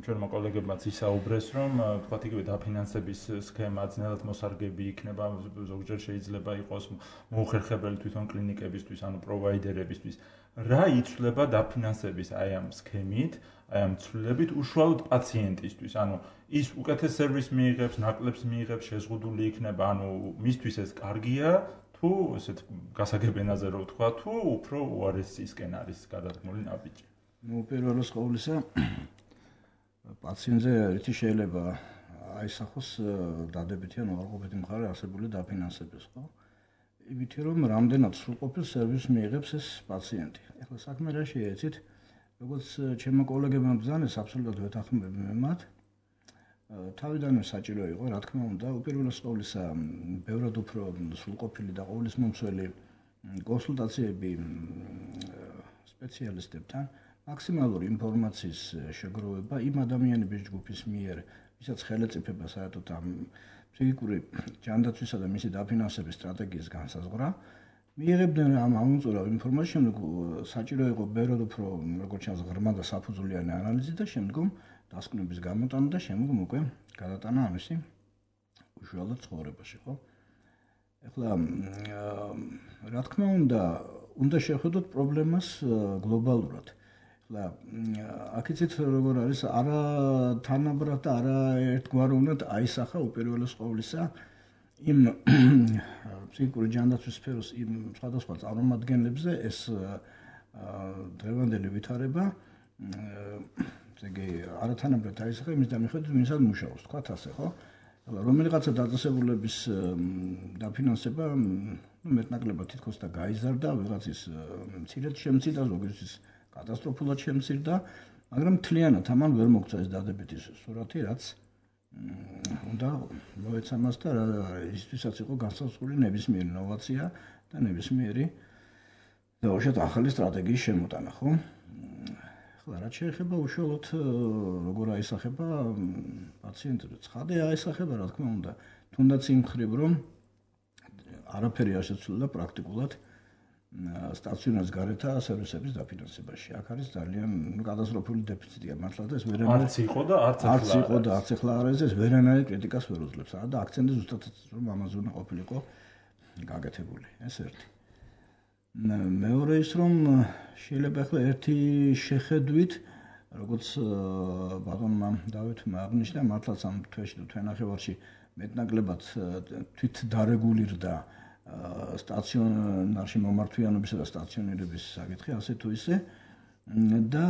ჩვენმა კოლეგებმაც ისაუბრეს, რომ თქვათ იგივე დაფინანსების სქემა ძნელად მოსარგები იქნება, ზოგჯერ შეიძლება იყოს მოუხერხებელი თვითონ კლინიკებისთვის, ანუ პროვაიდერებისთვის. რა იცვლება დაფინანსების აი ამ სქემით, აი ამ ცვლილებით უშუალოდ პაციენტისთვის, ანუ ის უკეთეს სერვისს მიიღებს, ნაკლებს მიიღებს, შეზღუდული იქნება, ანუ მისთვის ეს კარგია, თუ ესეთ გასაგებენაზე რო ვთქვა, თუ უფრო უარესისკენ არის გადადგმული ნაბიჯი. ნუ პირველს ყოვლისა პაციენტზე ერთი შეიძლება აისახოს დადებითი ან უარყოფითი მხარე არსებული დაფინანსების, ხო? იმითი რომ რამდენად სრულყოფილ სერვისს მიიღებს ეს პაციენტი. ეხლა საქმე რა შეეცით, როგორც ჩემო კოლეგებმა ბრძანეს, აბსოლუტურად ვეთანხმები მე მათ. თავიდანვე საჭირო იყო, რა თქმა უნდა, უპირველეს ყოვლისა, ბევრად უფრო სრულყოფილი და ყოვლის მომცველი კონსულტაციები სპეციალისტებთან, მაქსიმალური ინფორმაციის შეგროვება იმ ადამიანების ჯგუფის მიერ, ვისაც ხელეწიფება საერთოდ ამ ფსიქიკური ჯანდაცვისა და მისი დაფინანსების სტრატეგიის განსაზღვრა, მიიღებდნენ ამ ამოწურავ ინფორმაციას, შემდეგ საჭირო იყო ბევრად უფრო, როგორც ჩანს, ღრმა და საფუძვლიანი ანალიზი და შემდგომ დასკვნების გამოტანა და შემდგომ უკვე გადატანა ამისი უშუალოდ ცხოვრებაში, ხო? ეხლა რა თქმა უნდა, უნდა შევხედოთ პრობლემას გლობალურად. ეხლა აქიცით როგორ არის, არა თანაბრად და არა ერთგვაროვნად აისახა უპირველეს ყოვლისა იმ ფსიქიკური ჯანდაცვის სფეროს იმ სხვადასხვა წარმომადგენლებზე ეს დღევანდელი ვითარება ეგ არათანაბრად აისახა იმის დამიხედვით, ვინცად მუშაობს, თქვათ ასე, ხო? რომელიღაცა დაწესებულების დაფინანსება, ну, მეტნაკლებად თითქოს და გაიზარდა, ვიღაცის მცირედ შემცირდა, ზოგიერთის კატასტროფულად შემცირდა, მაგრამ მთლიანად ამან ვერ მოგწა ეს დადებითი სურათი, რაც უნდა მოეცამას და ისთვისაც იყო განსაზღვრული ნებისმიერი ინოვაცია და ნებისმიერი დაუშვათ ახალი სტრატეგიის შემოტანა, ხო? ახლა რაც შეეხება უშუალოდ როგორ აისახება პაციენტებს, ცხადია აისახება, რა თქმა უნდა, თუნდაც იმ მხრივ, რომ არაფერი არ შეცვლილა პრაქტიკულად სტაციონარის გარეთა სერვისების დაფინანსებაში. აქ არის ძალიან კატასტროფული დეფიციტია, მართლა და ეს ვერანაირ არც იყო და არც ახლა არც იყო და არც ახლა არის, ეს ვერანაირ კრიტიკას ვერ უძლებს. და აქცენტი ზუსტად რომ ამაზე უნდა ყოფილიყო გაკეთებული. ეს ერთი. მეორე ის რომ შეიძლება ახლა ერთი შეხედვით, როგორც ბატონმა დავითმა აღნიშნა, მართლაც ამ თვეში თუ თვენახევარში მეტნაკლებად თვით დარეგულირდა სტაციონარში მომართვიანობისა და სტაციონირების საკითხი, ასე თუ ისე და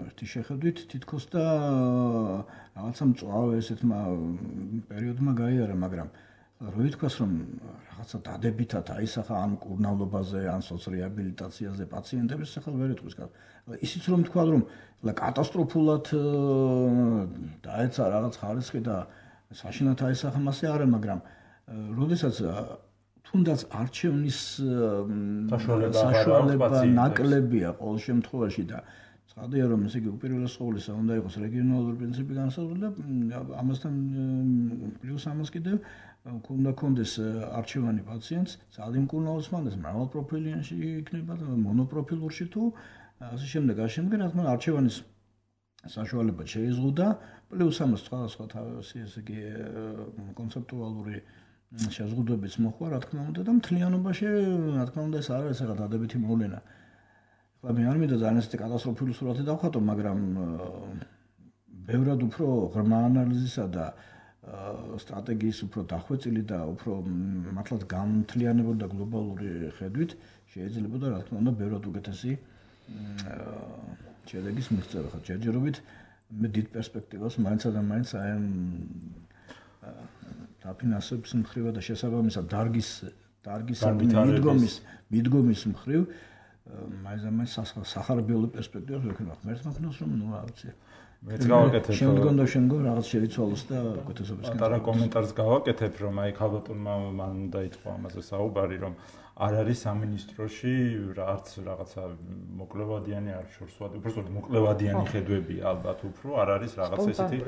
ერთი შეხედვით თითქოს და რაღაცა მწვავე ესეთმა პერიოდმა გაიარა, მაგრამ რო ითქვას რომ რაღაცა დადებითად აისახა ამ კურნალობაზე, ან სოციალ-რეაბილიტაციაზე პაციენტების ახლა ვერ ეთქვის. ისიც რომ თქვა რომ კატასტროფულად დაეცა რაღაც ხარისხი და საშინათ აისახა მასე არა, მაგრამ როდესაც თუნდაც არჩევნის საშუალება ნაკლებია ყოველ შემთხვევაში და ცხადია რომ ესე იგი უპირველეს ყოვლისა უნდა იყოს რეგიონალური პრინციპი განსაზღვრული და ამასთან პლუს ამას კიდევ უნდა კონდეს არჩევანი პაციენტს ძალიან მკურნალოს მანდეს მრავალპროფილიანში იქნება და მონოპროფილურში თუ ასე შემდეგ ასე შემდეგ რა თქმა უნდა არჩევანის საშუალება შეიზღუდა პლუს ამას სხვადასხვა თავისი ესე იგი კონცეპტუალური შეზღუდვებიც მოხდა რა თქმა უნდა და მთლიანობაში რა თქმა უნდა ეს არ არის რაღაც დადებითი მოვლენა. ახლა მე არ მინდა ძალიან ისეთი კატასტროფული სურათი დავხატო, მაგრამ ბევრად უფრო ღრმა ანალიზისა და სტრატეგიის უფრო დახვეწილი და უფრო მართლაც გამთლიანებული და გლობალური ხედვით შეიძლება და რა თქმა უნდა ბევრად უკეთესი შედეგის მიღწევა. ხა ჯერჯერობით მე დიდ პერსპექტივას მაინც და მაინც აი ამ დაფინანსების მხრივ და შესაბამისად დარგის დარგის მიდგომის მიდგომის მხრივ მაინც და მაინც სახარბიელი პერსპექტივას ვექნება. მერც მაგნოს რომ ნუ რა ვიცი მეც გავაკეთებ შემდგომ და შემდგომ რაღაც შეიცვალოს და უკეთესობის პატარა კომენტარს გავაკეთებ რომ აი ქალბატონმა მან დაიწყო ამაზე საუბარი რომ არ არის სამინისტროში რაც რაღაცა მოკლევადიანი არ შორსვადი უბრალოდ მოკლევადიანი ხედვებია ალბათ უფრო არ არის რაღაცა ესეთი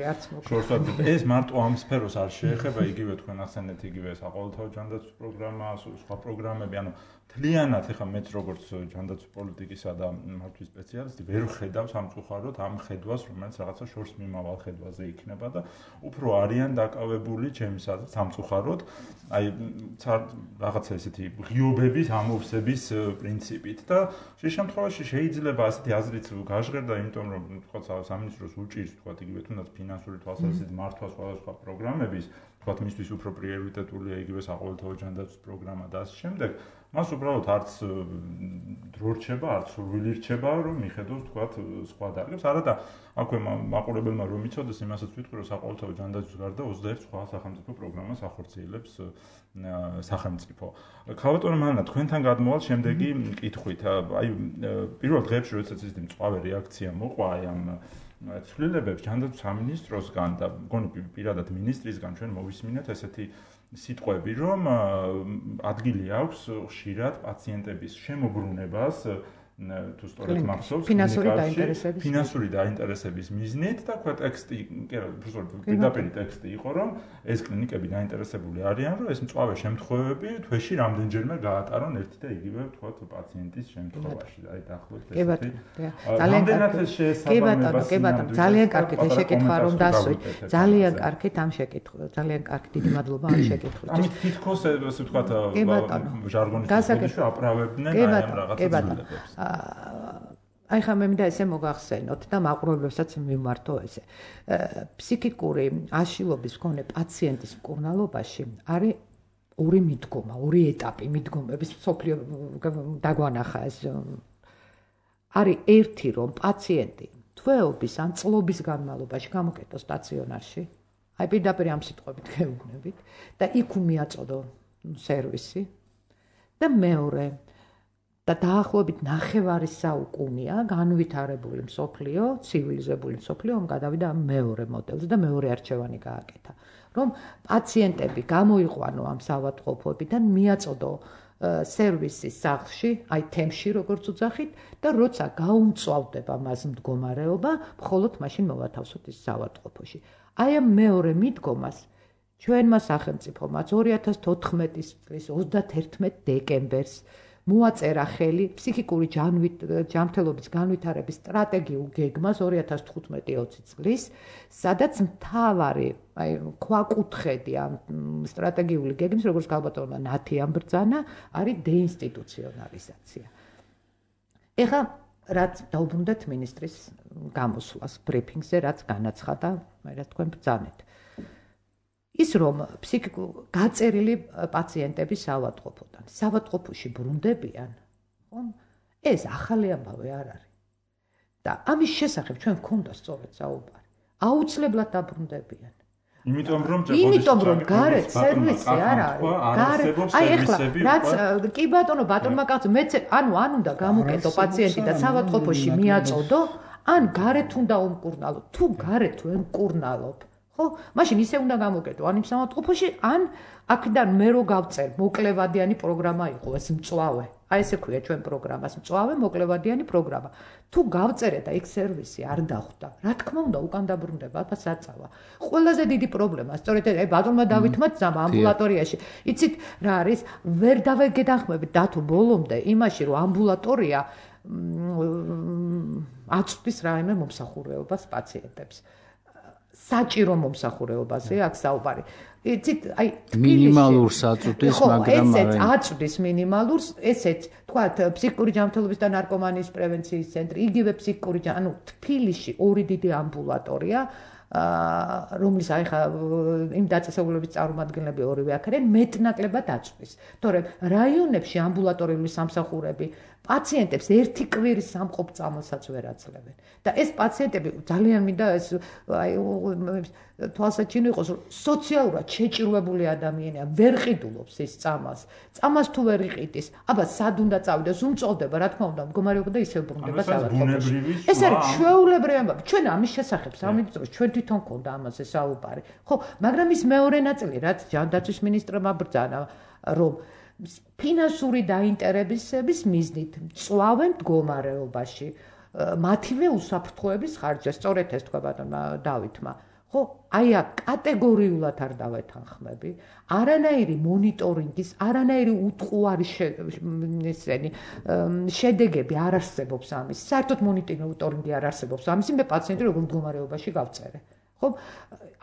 შორსვადი ეს მარტო ამ სფეროს არ შეეხება იგივე თქვენ ახსენეთ იგივე საყოველთაო ჯანდაცვის პროგრამა სხვა პროგრამები ანუ თლიანად ეხა მეც როგორც ჯანდაცვის პოლიტიკისა და მართვის სპეციალისტი ვერ ხედავ სამწუხაროდ ამ ხედვას რომელიც რაღაცა შორს მიმავალ ხედვაზე იქნება და უფრო არიან დაკავებული ჩემისათვის სამწუხაროდ აი რაღაცა ესეთი ღიობების ამოვსების პრინციპით და შე შემთხვევაში შეიძლება ასეთი აზრით გაჟღერდა იმიტომ რომ თქვა სამინისტროს უჭირს თქვა იგივე თუნდაც ფინანსური თვალსაზრისით მართვა სხვადასხვა პროგრამების თქვა მისთვის უფრო პრიორიტეტულია იგივე საყოველთაო ჯანდაცვის პროგრამა და ასე შემდეგ მას უბრალოდ არც დრო რჩება, არც სურვილი რჩება, რომ მიხედოს თქვა სხვა დარგებს. არა და აქვე მაყურებელმა რომ იცოდეს, იმასაც ვიტყვი, რომ საყოველთაო ჯანდაცვის გარდა ოცდაერთი სხვა სახელმწიფო პროგრამას ახორციელებს სახელმწიფო. ქალბატონო მანანა, თქვენთან გადმოვალ შემდეგი კითხვით. აი, პირველ დღეებში, როდესაც ის მწვავე რეაქცია მოყვა აი ამ ცვლილებებს ჯანდაცვის სამინისტროსგან და მგონი პირადად მინისტრისგან ჩვენ მოვისმინეთ ესეთი სიტყვები, რომ ადგილი აქვს ხშირად პაციენტების შემოbrunებას თუ სწორედ მახსოვს ფინანსური დაინტერესების ფინანსური დაინტერესების მიზნით და თქვა ტექსტი, კი რა, უბრალოდ პირდაპირ ტექსტი იყო, რომ ეს კლინიკები დაინტერესებული არიან, რომ ეს მწვავე შემთხვევები თვეში რამდენჯერმე გაატარონ ერთი და იგივე თქვა პაციენტის შემთხვევაში. აი დაახლოებით ესეთი. ძალიან კი ბატონო, კი ბატონო, ძალიან კარგით ეს შეკითხვა რომ დასვით. ძალიან კარგით ამ შეკითხვა, ძალიან კარგი დიდი მადლობა ამ შეკითხვით. ამით თითქოს ესე ვთქვა ჟარგონის თქმით აправებდნენ აი ამ რაღაც ცვლილებებს. აი ხა მე მინდა ესე მოგახსენოთ და მაყურებლებსაც მიმართო ესე. ფსიქიკური აშლილობის მქონე პაციენტის მკურნალობაში არის ორი მიდგომა, ორი ეტაპი მიდგომების სოფლიო დაგვანახა ეს. არის ერთი რომ პაციენტი თვეობის ან წლობის განმავლობაში გამოკეტოს სტაციონარში. აი პირდაპირ ამ სიტყვებით გეუბნებით და იქ მიაწოდო სერვისი და მეორე და დაახლოებით ნახევარი საუკუნეა განვითარებული მსოფლიო, ცივილიზებული მსოფლიო, რომ გადავიდა მეორე მოდელზე და მეორე არჩევანი გააკეთა. რომ პაციენტები გამოიყვანო ამ საავადმყოფოებიდან, მიაწოდო სერვისი სახლში, აი თემში როგორც უძახით და როცა გაუმწვავდება მას მდგომარეობა, მხოლოდ მაშინ მოვათავსოთ ის საავადმყოფოში. აი ამ მეორე მიდგომას ჩვენმა სახელმწიფომაც ორი ათას თოთხმეტი წლის ოცდაათერთმეტი დეკემბერს მოაწერა ხელი ფსიქიკური ჯანმრთელობის განვითარების სტრატეგიულ გეგმას ორი ათას თხუთმეტი ოცი წლის, სადაც მთავარი, აი, ქვაკუთხედი ამ სტრატეგიული გეგმის, როგორც ქალბატონმა ნათიამ ბრძანა, არის დეინსტიტუციონალიზაცია. ეხლა რაც დაუბრუნდეთ მინისტრის გამოსვლას ბრიფინგზე, რაც განაცხადა, მე რა თქვენ ბრძანეთ. ის რომ ფსიქიკურ გაწერილი პაციენტების საავადმყოფოდან საავადმყოფოში ბრუნდებიან, ხო? ეს ახალი ამბავი არ არის. და ამის შესახებ ჩვენ გვქონდა სწორედ საუბარი. აუცილებლად დაბრუნდებიან. იმიტომ რომ იმიტომ რომ გარეთ სერვისი არ არის. აი ეხლა რაც კი ბატონო ბატონმა კაცო მეც ანუ ან უნდა გამოკეტო პაციენტი და საავადმყოფოში მიაწოდო, ან გარეთ უნდა უმკურნალო. თუ გარეთ ვერ მკურნალობ, ხო? მაშინ ისე უნდა გამოკეტო ან იმ საავადმყოფოში, ან აქედან მე რო გავწერ მოკლევადიანი პროგრამა იყო ეს მწვავე. აი ესე ქვია ჩვენ პროგრამას მწვავე მოკლევადიანი პროგრამა. თუ გავწერე და იქ სერვისი არ დახვდა, რა თქმა უნდა უკან დაბრუნდება, აბა საწავა. ყველაზე დიდი პრობლემა, სწორედ აი ბატონმა დავითმა ძმა ამბულატორიაში. იცით რა არის? ვერ დავეგეთანხმებით დათო ბოლომდე იმაში, რომ ამბულატორია აწვდის რაიმე მომსახურეობას პაციენტებს. საჭირო მომსახურებაზე აქ საუბარი. იცით, აი მინიმალურს აწვდის, მაგრამ ესეც აწვდის მინიმალურს, ესეც თქვათ ფსიქიკური ჯანმრთელობის და ნარკომანიის პრევენციის ცენტრი, იგივე ფსიქიკური, ანუ თბილისში ორი დიდი ამბულატორია, რომლის აი ხა იმ დაწესებულების წარმომადგენლები ორივე აქ არიან, მეტნაკლებად აწვდის. თორემ რაიონებში ამბულატორიული სამსახურები პაციენტებს ერთი კვირის სამყოფ წამალსაც ვერ აძლევენ. და ეს პაციენტები ძალიან მინდა ეს აი თვალსაჩინო იყოს, რომ სოციალურად შეჭირვებული ადამიანია, ვერ ყიდულობს ის წამალს. წამალს თუ ვერ იყიდის, აბა სად უნდა წავიდეს, უმწოვდება, რა თქმა უნდა, მდგომარეობა და ისევ ბრუნდება საავადმყოფოში. ეს არის ჩვეულებრივი ამბავი. ჩვენ ამის შესახებ სამინისტროს ჩვენ თვითონ გქონდა ამაზე საუბარი. ხო, მაგრამ ის მეორე ნაწილი, რაც ჯანდაცვის მინისტრმა ბრძანა, რომ ფინანსური დაინტერესების მიზნით მწვავენ მდგომარეობაში მათივე უსაფრთხოების ხარჯზე, სწორედ ეს თქვა ბატონმა დავითმა. ხო, აი აქ კატეგორიულად არ დავეთანხმები, არანაირი მონიტორინგის, არანაირი უტყუარი ესენი შედეგები არ არსებობს ამის. საერთოდ მონიტორინგი არ არსებობს ამის, მე პაციენტი როგორ მდგომარეობაში გავწერე. ხო,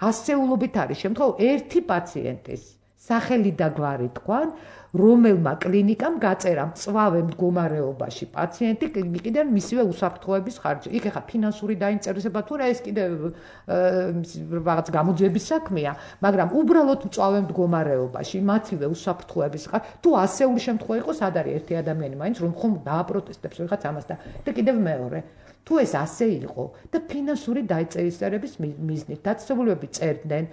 ასეულობით არის შემთხვევა ერთი პაციენტის სახელი და გვარი თქვან, რომელმა კლინიკამ გაწერა მწვავე მდგომარეობაში პაციენტი კიდევ მისივე უსაფრთხოების ხარჯზე. იქ ახლა ფინანსური დაინტერესება თუ რა ეს კიდევ რაღაც გამოძიების საქმეა, მაგრამ უბრალოდ მწვავე მდგომარეობაში მათივე უსაფრთხოების ხარჯზე. თუ ასეული შემთხვევა იყოს, ად არის ერთი ადამიანი მაინც რომ ხომ დააპროტესტებს ვიღაც ამას და და კიდევ მეორე. თუ ეს ასე იყო და ფინანსური დაინტერესების მიზნით დაწესებულებები წერდნენ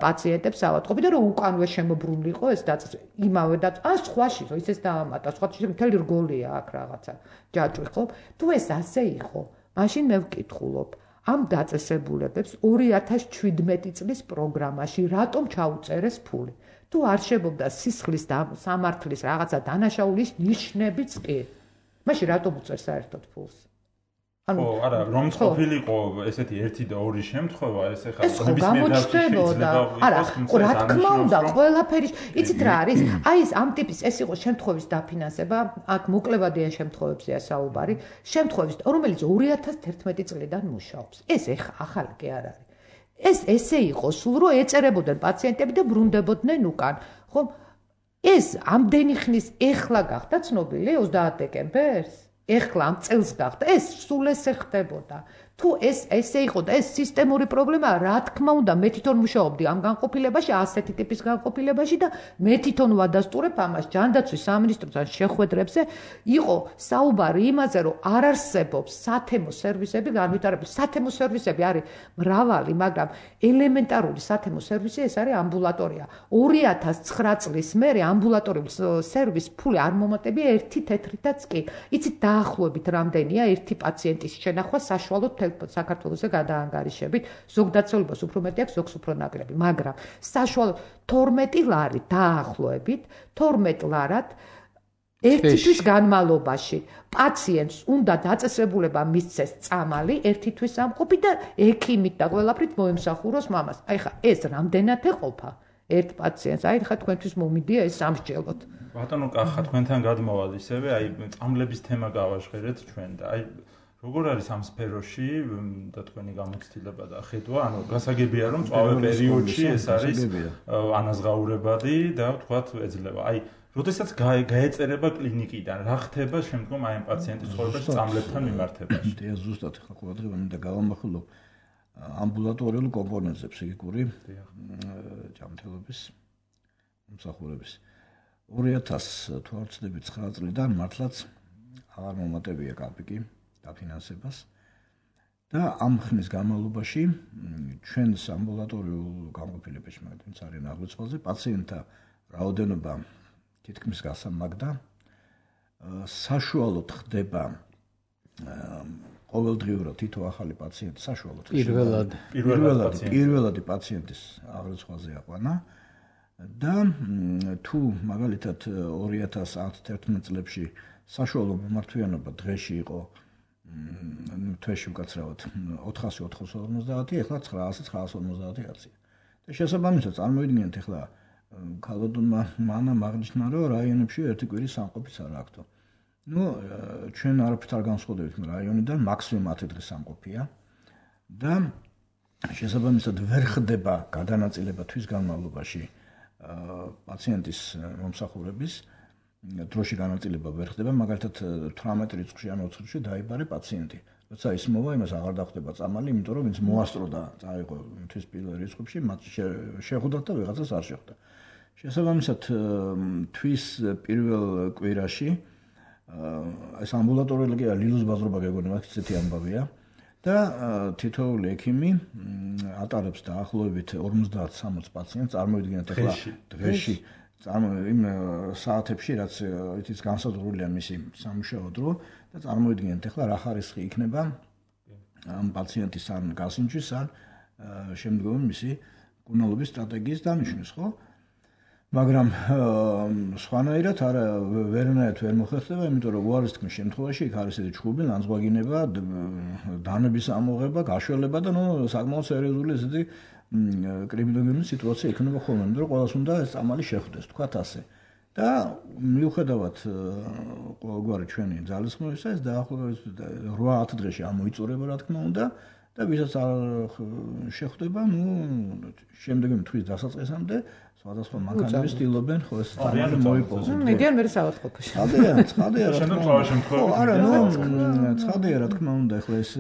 პაციენტებს ავადმყოფი და რომ უკანვე შემოbrunლიყო ეს დაწესება იმავე და ან სხვაში რომ ისეს დაამატა სხვაში მთელი რგოლია აქ რაღაცა ჯაჭვი ხო თუ ეს ასე იყო მაშინ მე ვკითხულობ ამ დაწესებულებებს ორი ათას შვიდმეტი წლის პროგრამაში რატომ ჩაუწერეს ფული თუ არ შეგობდა სისხლის და სამართლის რაღაცა დანაშაულის ნიშნებიც კი მაშინ რატომ უწევს საერთოდ ფულს ხო, არა, რომ ყოფილიყო ესეთი ერთი და ორი შემთხვევა, ეს ეხლა გამოჩნდებოდა. არა, რა თქმა უნდა, ყველაფერი, იცით რა არის? აი ეს ამ ტიპის ეს იყო შემთხვევის დაფინანსება, აქ მოკლევადიან შემთხვევებზეა საუბარი, შემთხვევის, რომელიც ორი ათას თერთმეტი წლიდან მუშაობს. ეს ეხლა ახალი კი არ არის. ეს ესე იყო, სულ რომ ეწერებოდნენ პაციენტები და ბრუნდებოდნენ უკან. ხო? ეს ამდენი ხნის ეხლა გახდა ცნობილი ოცდაათ დეკემბერს? ეხლა ამ წელს გახდა ეს სულ ესე ხდებოდა თუ ეს ესე იყო და ეს სისტემური პრობლემაა რა თქმა უნდა მე თვითონ მუშაობდი ამ განყოფილებაში ასეთი ტიპის განყოფილებაში და მე თვითონ ვადასტურებ ამას ჯანდაცვის სამინისტროსთან შეხვედრებზე იყო საუბარი იმაზე რომ არ არსებობს სათემო სერვისები განვითარებული სათემო სერვისები არის მრავალი მაგრამ ელემენტარული სათემო სერვისი ეს არის ამბულატორია ორი ათას ცხრა წლის მერე ამბულატორიული სერვის ფული არ მომატებია ერთი თეთრითაც კი იცით დაახლოებით რამდენია ერთი პაციენტის შენახვა საშუალოდ საქართველოსზე გადაანგარიშებით ზოგ დაწესებულებას უფრო მეტი აქვს ზოგს უფრო ნაკლები მაგრამ საშუალოდ თორმეტი ლარი დაახლოებით თორმეტ ლარად ერთი თვის განმავლობაში პაციენტს უნდა დაწესებულება მისცეს წამალი ერთი თვის ამყოფი და ექიმით და ყველაფრით მოემსახუროს მამას აი ხა ეს რამდენად ეყოფა ერთ პაციენტს აი ხა თქვენთვის მომიდია ეს სამსჯელოდ ბატონო კახა თქვენთან გადმოვალ ისევე აი წამლების თემა გავაჟღერეთ ჩვენ და აი როგორ არის ამ სფეროში და თქვენი გამოცდილება და ხედვა, ანუ გასაგებია რომ წვავე პერიოდში ეს არის ანაზღაურებადი და თქვათ ეძლევა. აი, როდესაც გაეწერება კლინიკიდან, რა ხდება შემდგომ აი ამ პაციენტის ცხოვრებაში წამლებთან მიმართებაში? და ზუსტად ახლა ყურადღება მინდა გავამახვილო ამბულატორიულ კომპონენტზე ფსიქიკური ჯანმრთელობის მომსახურების ორი ათას თუ არ ვცდები ცხრა წლიდან მართლაც აღარ მომატებია კაპიკი დაფინანსებას და ამ ხნის განმავლობაში ჩვენს ამბულატორიულ განყოფილებაში, მაგალითად, ძალიან აღრიცხვაზე პაციენტთა რაოდენობა თითქმის გასამაგდა. საშუალოდ ხდება ყოველდღიურად თითო ახალი პაციენტი საშუალოდ პირველად პირველად პირველადი პაციენტის აღრიცხვაზე აყვანა და თუ მაგალითად ორი ათას ათი-ათერთმეტ წლებში საშუალო მიმართვიანობა დღეში იყო თვეში უკაცრავად ოთხასი ოთხსულოცდაათი, ახლა ცხრაასი ცხრაასორმოცდაათი კაცია. და შესაბამისად წარმოვიდგინეთ ახლა ქალბატონმა მანამ აღნიშნა, რომ რაიონებში ერთი კვირის სამყოფიც არ აქვთ. Ну, ჩვენ არაფერს არ განსხვავდებით რაიონიდან, მაქსიმუმ ათი დღის სამყოფია და შესაბამისად ვერ ხდება გადანაწილება თვის განმავლობაში პაციენტის მომსახურების დროში განაწილება ვერ ხდება, მაგალითად თვრამეტ რიცხვში ან ოცი რიცხვში დაიბარე პაციენტი. როცა ის მოვა, იმას აღარ დახვდება წამალი, იმიტომ რომ ვინც მოასწროდა წაიღო თვის პირველ რიცხვში, მათ შეხვდათ და ვიღაცას არ შეხვდა. შესაბამისად თვის პირველ კვირაში ეს ამბულატორიული ლილოს ბაზრობა გეგონა, მაგ ისეთი ამბავია და თითოეული ექიმი ატარებს დაახლოებით ორმოცდაათ სამოცდ პაციენტს, წარმოვიდგინეთ ახლა დღეში იმ საათებში, რაც იცით განსაზღვრულია მისი სამუშაო დრო და წარმოვიდგინეთ ახლა რა ხარისხი იქნება ამ პაციენტის ან გასინჯვის ან შემდგომი მისი მკურნალობის სტრატეგიის დანიშვნის, ხო? მაგრამ სხვანაირად არა ვერანაირად ვერ მოხერხდება, იმიტომ რომ უარის თქმის შემთხვევაში იქ არის ესეთი ჩხუბი, ლანძღვაგინება, დანების ამოღება, გაშველება და ნუ საკმაოდ სერიოზული ესეთი კრიმინალური სიტუაცია იქნება ხოლმე, იმიტომ რომ ყველას უნდა ეს წამალი შეხვდეს, თქვათ ასე. და მიუხედავად ყოველგვარი ჩვენი ძალისხმევისა, ეს დაახლოებით რვა ათი დღეში ამოიწურება, რა თქმა უნდა, და ვისაც არ შეხვდება, ნუ შემდეგი თვის დასაწყისამდე სხვადასხვა მანქანები ცდილობენ ხო ეს წამალი მოიპოვოს. მიდიან მე საავადმყოფოში. ცხადია, ცხადია რა თქმა უნდა. არა, ნუ ცხადია რა თქმა უნდა, ახლა ეს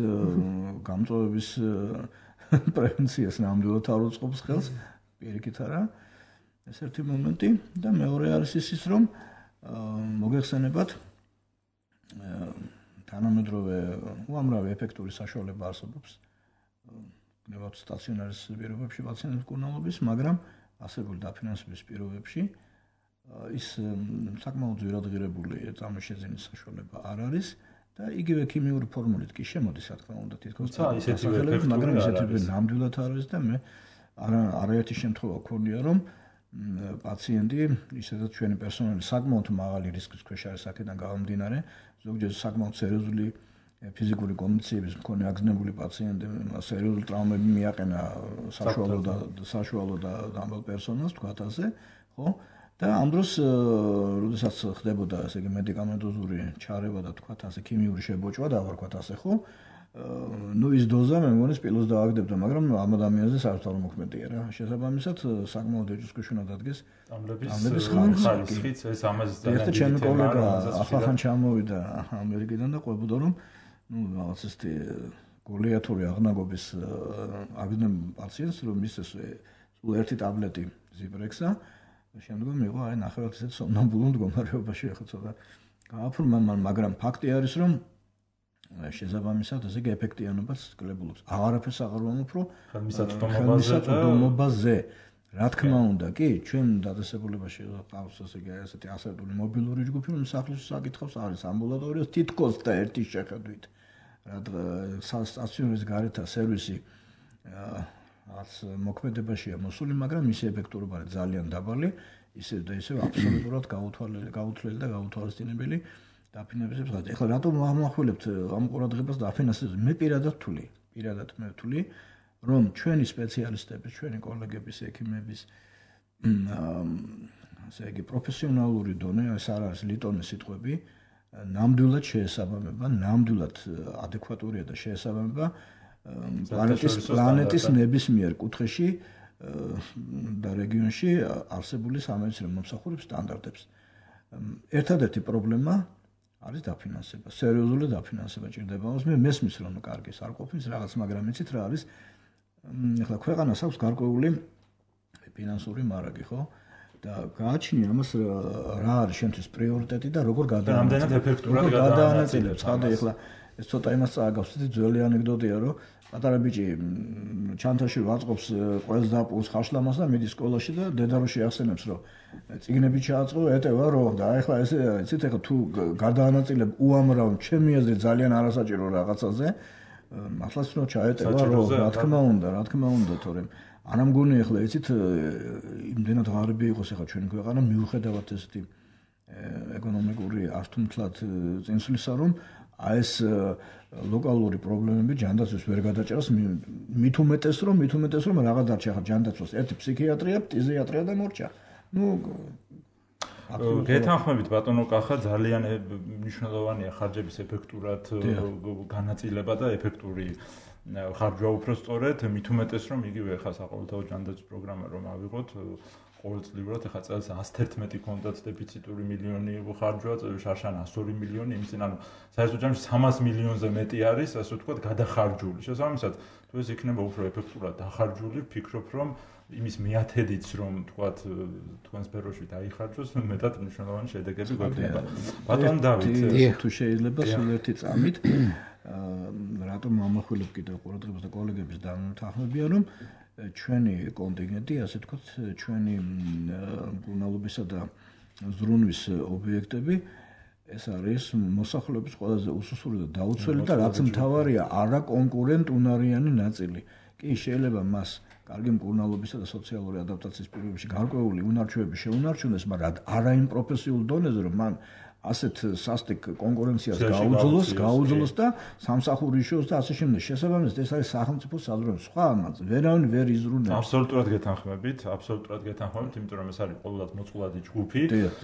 გამწვავების პრევენციას ნამდვილად არ უწყობს ხელს, პირიქით არა. ეს ერთი მომენტი და მეორე არის ის, რომ მოგეხსენებათ თანამედროვე უამრავი ეფექტური საშუალება არსებობს გნებავთ სტაციონარის პირობებში პაციენტების მკურნალობის, მაგრამ ასებული დაფინანსების პირობებში ის საკმაოდ ძვირადღირებული წამოშეძენის საშუალება არ არის და იგივე ქიმიური ფორმულით კი შემოდის, რა თქმა უნდა, თითქოს ისეთივე, მაგრამ ისეთივე ნამდვილად არ არის და მე არაერთი შემთხვევა გქონია, რომ პაციენტი, ისედაც ჩვენი პერსონალი საკმაოდ მაღალი რისკის ქვეშ არის აქედან გამომდინარე, ზოგჯერ საკმაოდ სერიოზული ფიზიკური კონდიციების მქონე აგზნებული პაციენტი სერიოზული ტრავმები მიაყენა საშუალო და საშუალო და დამბალ პერსონალს, თქვათ ასე, ხო? და ამ დროს, როდესაც ხდებოდა ესე იგი მედიკამენტოზური ჩარევა და თქვათ ასე ქიმიური შებოჭვა და ვთქვათ ასე, ხო? ნუ ის დოზა მე მგონი სპილოს დააგდებდა, მაგრამ ამ ადამიანზე საერთოდ არ მოქმედია რა. შესაბამისად, საკმაოდ ეჭვსქვეშ უნდა დადგეს ამლების ხარისხიც, ეს ამაზე ძალიან დიდი ჩემი კოლეგა ახალხან ჩამოვიდა ამერიკიდან და ყვებოდა, რომ ნუ რაღაც ესეთი გოლიათური აღნაგობის აგზნებ პაციენტს, რომ ის ეს სულ ერთი ტაბლეტი ზიბრექსა, შემდგომ მიიღო აი ნახევრად ესეთ სომნამბულურ მდგომარეობაში, ახლა ცოტა გააფრმა, მაგრამ ფაქტი არის, რომ შესაბამისად ესე იგი ეფექტიანობას კლებულობს. აღარაფერს აღარ ვამოფრო ხელმისაწვდომობაზე. რა თქმა უნდა, კი, ჩვენ დაწესებულებაში ყავს ესე იგი ესეთი ასერტული მობილური ჯგუფი, რომ სახლის საკითხავს არის ამბულატორია თითქოს და ერთი შეხედვით. რა სტაციონარის გარეთა სერვისი რაც მოქმედებაშია მოსული, მაგრამ მისი ეფექტურობა არის ძალიან დაბალი, ისე და ისე აბსოლუტურად გაუთვალელი, გაუთვლელი და გაუთვალისწინებელი. დაფინანსებს ხარ. ეხლა რატომ ამახვილებთ ამ ყურადღებას დაფინანსებს? მე პირადად ვთვლი, პირადად მე ვთვლი, რომ ჩვენი სპეციალისტების, ჩვენი კოლეგების, ექიმების ასე იგი პროფესიონალური დონე, ეს არ არის ლიტონის სიტყვები, ნამდვილად შეესაბამება, ნამდვილად ადეკვატურია და შეესაბამება პლანეტის პლანეტის ნებისმიერ კუთხეში და რეგიონში არსებული სამედიცინო მომსახურების სტანდარტებს. ერთადერთი პრობლემა არის დაფინანსება, სერიოზული დაფინანსება ჭირდება. მე მესმის რომ კარგი არ ყოფნის რაღაც, მაგრამ იცით რა არის? ეხლა ქვეყანას აქვს გარკვეული ფინანსური მარაგი, ხო? და გააჩნია ამას რა არის შენთვის პრიორიტეტი და როგორ გადაანაწილებს. გადაანაწილებს. ხადე ეხლა ეს ცოტა იმას წააგავს, ძველი ანეკდოტია, რომ პატარა ბიჭი ჩანთაში ვაწყობს ყველს დაპყრობს ხაშლამას და მიდის სკოლაში და დედა რო შეახსენებს, რომ წიგნები ჩააწყო, ეტევა რომ და ეხლა ესე იცით, ეხლა თუ გადაანაწილებ უამრავ ჩემი აზრით ძალიან არასაჭირო რაღაცაზე, ახლაც რო ჩაეტევა, რომ რა თქმა უნდა, რა თქმა უნდა, თორემ არ ამგონი ეხლა იცით, იმდენად ღარიბი იყოს ეხლა ჩვენი ქვეყანა, მიუხედავად ესეთი ეკონომიკური ართუმთლად წინსვლისა, რომ აი ეს ლოკალური პრობლემები ჯანდაცვის ვერ გადაჭერას, მით უმეტეს რომ მით უმეტეს რომ რაღაც დარჩა ხა ჯანდაცვას ერთი ფსიქიატრია, ფტიზიატრია და მორჩა. ნუ გეთანხმებით ბატონო კახა, ძალიან მნიშვნელოვანია ხარჯების ეფექტურად განაწილება და ეფექტური ხარჯვა უფრო სწორედ, მით უმეტეს რომ იგივე ხა საყოველთაო ჯანდაცვის პროგრამა რომ ავიღოთ ყოველწლიურად ახლა წელს ათს ერთმეტი კონდაც დეფიციტური მილიონი ხარჯვა, შარშან εκατს ორი მილიონი, იმის წინ ანუ საერთოდ ჯამში სამას მილიონზე მეტი არის, ასე ვთქვათ, გადახარჯული. შესაბამისად, თუ ეს იქნება უფრო ეფექტურად დახარჯული, ვფიქრობ, რომ იმის მიათედიც რომ ვთქვათ, თქვენ სფეროში დაიხარჯოს, მეტად მნიშვნელოვანი შედეგები გვექნება. ბატონ დავით, თუ შეიძლება სულ ერთი წამით რატომ ამახვილებ კიდევ ყურადღებას და კოლეგების დამთანხმებია, რომ ჩვენი კონტინგენტი, ასე ვთქვათ, ჩვენი მკურნალობისა და ზრუნვის ობიექტები, ეს არის მოსახლეობის ყველაზე უსუსური და დაუცველი და რაც მთავარია, არაკონკურენტუნარიანი ნაწილი. კი, შეიძლება მას კარგი მკურნალობისა და სოციალური ადაპტაციის პირობებში გარკვეული უნარჩვევები შეუნარჩუნდეს, მაგრამ არა იმ პროფესიულ დონეზე, რომ მან ასეთ სასტიკ კონკურენციას გაუძლოს, გაუძლოს და სამსახური იშოვოს და ასე შემდეგ. შესაბამისად, ეს არის სახელმწიფოს საზრუნო. სხვა ამაც ვერავინ ვერ იზრუნებს. აბსოლუტურად გეთანხმებით, აბსოლუტურად გეთანხმებით, იმიტომ რომ ეს არის ყოველად მოწყვლადი ჯგუფი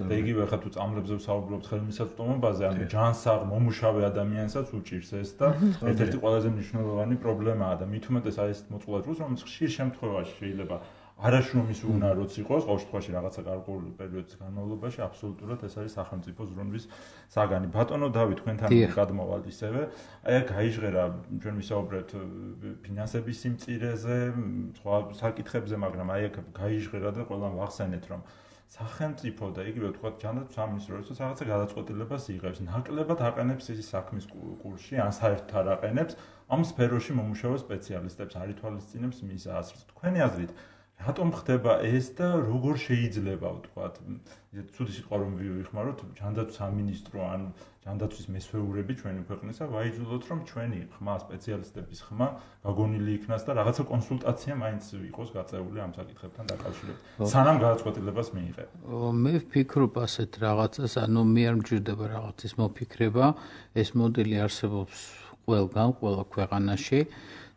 და იგივე ხა თუ წამლებზე ვსაუბრობთ ხელმისაწვდომობაზე, ანუ ჯანსაღ მომუშავე ადამიანსაც უჭირს ეს და ერთ-ერთი ყველაზე მნიშვნელოვანი პრობლემაა და მით უმეტეს არის მოწყვლადი ჯგუფს, რომელიც ხშირ შემთხვევაში შეიძლება არაშრომის უნაროც იყოს, ყოველ შემთხვევაში რაღაცა გარკვეული პერიოდის განმავლობაში აბსოლუტურად ეს არის სახელმწიფო ზრუნვის საგანი. ბატონო დავით, თქვენთან გადმოვალ ისევე. აი აქ გაიჟღერა ჩვენ ვისაუბრეთ ფინანსების სიმწირეზე, სხვა საკითხებზე, მაგრამ აი აქ გაიჟღერა და ყველამ ვახსენეთ, რომ სახელმწიფო და იგივე ვთქვათ, ჯანდაცვის სამინისტრო როდესაც რაღაცა გადაწყვეტილებას იღებს, ნაკლებად აყენებს ის საქმის კურსში, ან საერთოდ არ აყენებს ამ სფეროში მომუშავე სპეციალისტებს, არ ითვალისწინებს მის აზრს. თქვენი აზრით რატომ ხდება ეს და როგორ შეიძლება ვთქვათ, ცუდი სიტყვა რომ ვიხმაროთ, ჯანდაცვის სამინისტრო ან ჯანდაცვის მესვეურები ჩვენი ქვეყნისა ვაიძულოთ, რომ ჩვენი ხმა სპეციალისტების ხმა გაგონილი იქნას და რაღაცა კონსულტაცია მაინც იყოს გაწეული ამ საკითხებთან დაკავშირებით. სანამ გადაწყვეტილებას მიიღებ. მე ვფიქრობ ასეთ რაღაცას, ანუ მე არ მჭირდება რაღაცის მოფიქრება, ეს მოდელი არსებობს ყველგან, ყველა ქვეყანაში.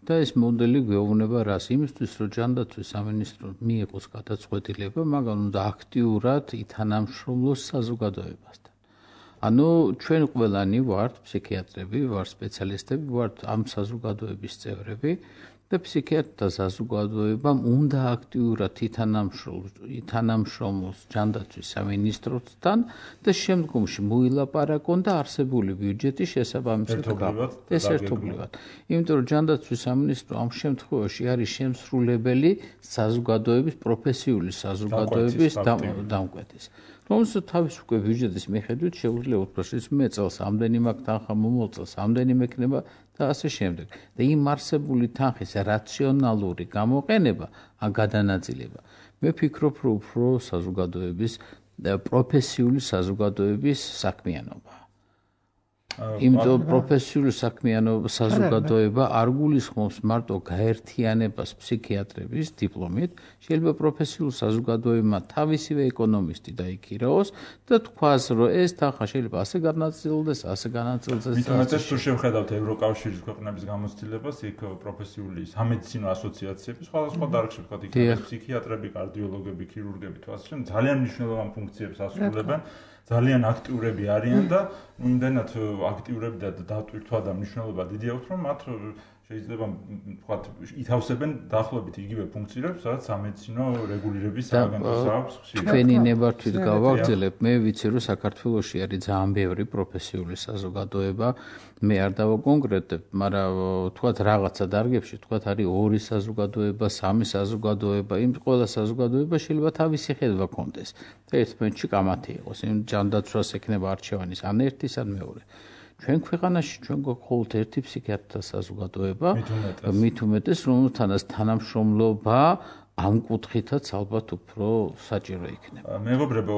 და ეს მოდელი გვეუბნება რას? იმისთვის, რომ ჯანდაცვის სამინისტრო მიიღოს გადაწყვეტილება, მაგრამ უნდა აქტიურად ითანამშრომლოს საზოგადოებასთან. ანუ ჩვენ ყველანი ვართ ფსიქიატრები, ვართ სპეციალისტები, ვართ ამ საზოგადოების წევრები და ფსიქიატრთა საზოგადოებამ უნდა აქტიურად ითანამშრომლოს ჯანდაცვის სამინისტროსთან და შემდგომში მოილაპარაკონ და არსებული ბიუჯეტის შესაბამისად გავყოთ. ეს ერთობლივად. იმიტომ რომ ჯანდაცვის სამინისტრო ამ შემთხვევაში არის შემსრულებელი საზოგადოების, პროფესიული საზოგადოების დამკვეთის. რომელსაც თავის უკვე ბიუჯეტის მიხედვით შეუძლია უთხროს, მე წელს ამდენი მაქვს თანხა, მომავალ წელს ამდენი მექნება და ასე შემდეგ. და იმ არსებული თანხის რაციონალური გამოყენება, ან გადანაწილება, მე ვფიქრობ, რომ უფრო საზოგადოების პროფესიული საზოგადოების საქმიანობაა. იმიტომ პროფესიული საქმიანობა საზოგადოება არ გულისხმობს მარტო გაერთიანებას ფსიქიატრების დიპლომით, შეიძლება პროფესიულ საზოგადოებამ თავისივე ეკონომისტი დაიქირაოს და თქვას, რომ ეს თანხა შეიძლება ასე განაწილდეს, ასე განაწილდეს. მithumetes თუ შევხედავთ ევროკავშირის ქვეყნების გამოცდილებას, იქ პროფესიული სამედიცინო ასოციაციები, სხვადასხვა დარგში ვთქვათ, იქ ფსიქიატრები, კარდიოლოგები, ქირურგები თუ ასე შემდეგ, ძალიან მნიშვნელოვან ფუნქციებს ასრულებენ. ძალიან აქტიურები არიან და იმდენად აქტიურები და დატვირთვა და მნიშვნელობა დიდი აქვს, რომ მათ შეიძლება ვთქვათ, ითავსებენ დაახლოებით იგივე ფუნქციებს, სადაც სამედიცინო რეგულირების სააგენტოს აქვს. თქვენი ნებართვით გავაგრძელებ, მე ვიცი, რომ საქართველოში არის ძალიან ბევრი პროფესიული საზოგადოება, მე არ დავაკონკრეტებ, მაგრამ ვთქვათ რაღაცა დარგებში, ვთქვათ არის ორი საზოგადოება, სამი საზოგადოება, იმ ყველა საზოგადოება შეიძლება თავისი ხედვა კონდეს. და ერთმანეთში კამათი იყოს, იმ ჯანდაცვას ექნება არჩევანის ან ერთის ან მეორე. ჩვენ ქვეყანაში ჩვენ გვაქვს ერთი ფსიქიატრთა საზოგადოება, მით უმეტეს, რომელთანაც თანამშრომლობა ამ კუთხითაც ალბათ უფრო საჭირო იქნება. მეგობრებო,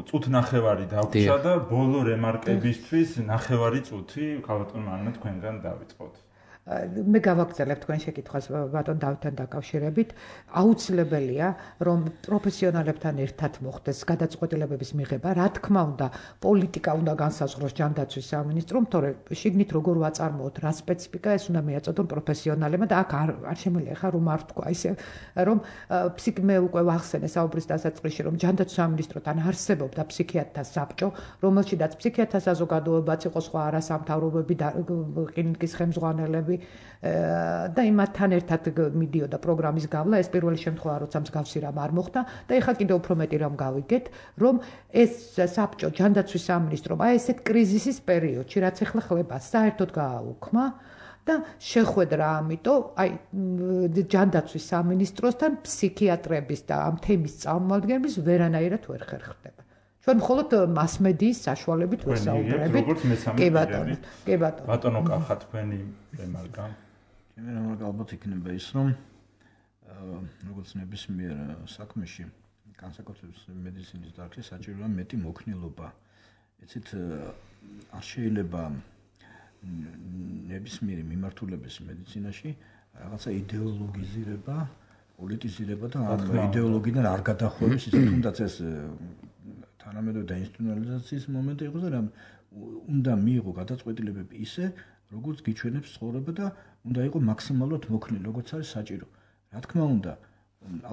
წუთ ნახევარი დაგვრჩა და ბოლო რემარკებისთვის ნახევარი წუთი ქალბატონ მანანა თქვენგან დავიწყოთ. მე გავაგრძელებ თქვენ შეკითხვას ბატონ დავითთან დაკავშირებით. აუცილებელია, რომ პროფესიონალებთან ერთად მოხდეს გადაწყვეტილებების მიღება. რა თქმა უნდა, პოლიტიკა უნდა განსაზღვროს ჯანდაცვის სამინისტრომ, თორე შიგნით როგორ ვაწარმოოთ, რა სპეციფიკა ეს უნდა მიაწოდონ პროფესიონალებმა და აქ არ არ შემიძლია ხა რომ არ თქვა ისე, რომ მე უკვე ვახსენე საუბრის დასაწყისში, რომ ჯანდაცვის სამინისტროთან არსებობდა ფსიქიატრთა საბჭო, რომელშიდაც ფსიქიატრთა საზოგადოებაც იყო, სხვა არასამთავრობოები და კლინიკის ხელმძღვანელები და იმათთან ერთად მიდიოდა პროგრამის გავლა, ეს პირველი შემთხვევა როცა მსგავსი რამ არ მოხდა და ეხლა კიდევ უფრო მეტი რამ გავიგეთ, რომ ეს საბჭო ჯანდაცვის სამინისტრომ აი ესეთ კრიზისის პერიოდში, რაც ეხლა ხლება, საერთოდ გააუქმა და შეხვედრა ამიტომ აი ჯანდაცვის სამინისტროსთან ფსიქიატრების და ამ თემის წარმომადგენლების ვერანაირად ვერ ხერხდება. ჩვენ მხოლოდ მასმედიის საშუალებით ვესაუბრებით. კი ბატონო, კი ბატონო. ბატონო კახა თქვენი რემარკა. ჩემი რემარკა ალბათ იქნება ის, რომ როგორც ნებისმიერ საქმეში, განსაკუთრებით მედიცინის დარგში საჭიროა მეტი მოქნილობა. იცით, არ შეიძლება ნებისმიერი მიმართულების მედიცინაში რაღაცა იდეოლოგიზირება, პოლიტიზირება და ამ იდეოლოგიიდან არ გადახვევს, ისე თუნდაც ეს თანამედროვე დაინსტიტუციონალიზაციის მომენტი იყო და უნდა მიიღო გადაწყვეტილებები ისე, როგორც გიჩვენებს ცხოვრება და უნდა იყო მაქსიმალურად მოქნილი, როგორც არის საჭირო. რა თქმა უნდა,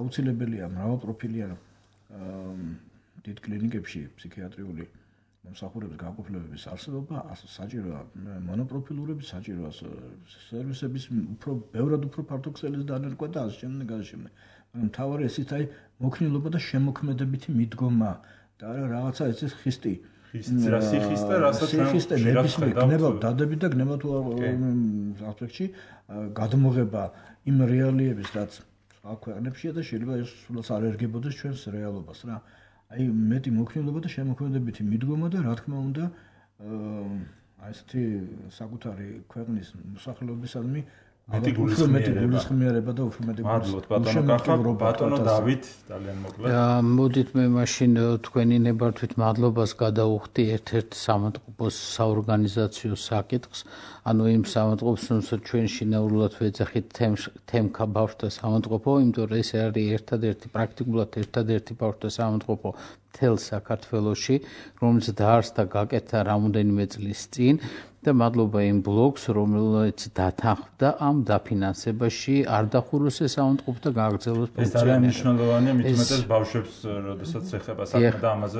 აუცილებელია მრავალპროფილიან დიდ კლინიკებში ფსიქიატრიული მომსახურების განყოფილებების არსებობა, საჭიროა მონოპროფილურები, საჭიროა სერვისების უფრო ბევრად უფრო ფართოქსელის დანერგვა და ასე შემდეგ, ასე შემდეგ. მაგრამ მთავარი ესეც აი მოქნილობა და შემოქმედებითი მიდგომა და არა რაღაცა ეს ხისტი. ხისტი რა სიხისტე, რასაც ნებისმიერ გნება დადები და გნება თუ ასპექტში გადმოღება იმ რეალიების, რაც სხვა ქვეყნებშია და შეიძლება ეს სულაც არ ერგებოდეს ჩვენს რეალობას რა. აი მეტი მოქნილობა და შემოქმედებითი მიდგომა და რა თქმა უნდა აი ესეთი საკუთარი ქვეყნის მოსახლეობისადმი მეტი გულისხმიერება და უფრო მეტი გულისხმიერება. ბატონო დავით, ძალიან მოკლედ. მოდით მე მაშინ თქვენი ნებართვით მადლობას გადავუხდი ერთ-ერთ სამწყობოს საორგანიზაციო საკითხს, ანუ იმ სამწყობს, რომელსაც ჩვენ შინაურულად ვეძახით თემქა ბავშვთა სამწყობო, იმიტომ რომ ეს არის ერთადერთი პრაქტიკულად ერთადერთი ბავშვთა სამწყობო მთელ საქართველოში, რომელიც დაარსდა გაკეთა რამოდენიმე წლის წინ. და მადლობა იმ ბლოგს, რომელიც დათანხმდა ამ დაფინანსებაში, არ დახუროს ეს სამწყობო და გააგრძელოს ფუნქციონირება. ეს ძალიან მნიშვნელოვანია, მით უმეტეს ბავშვებს, როდესაც ეხება საქმე და ამაზე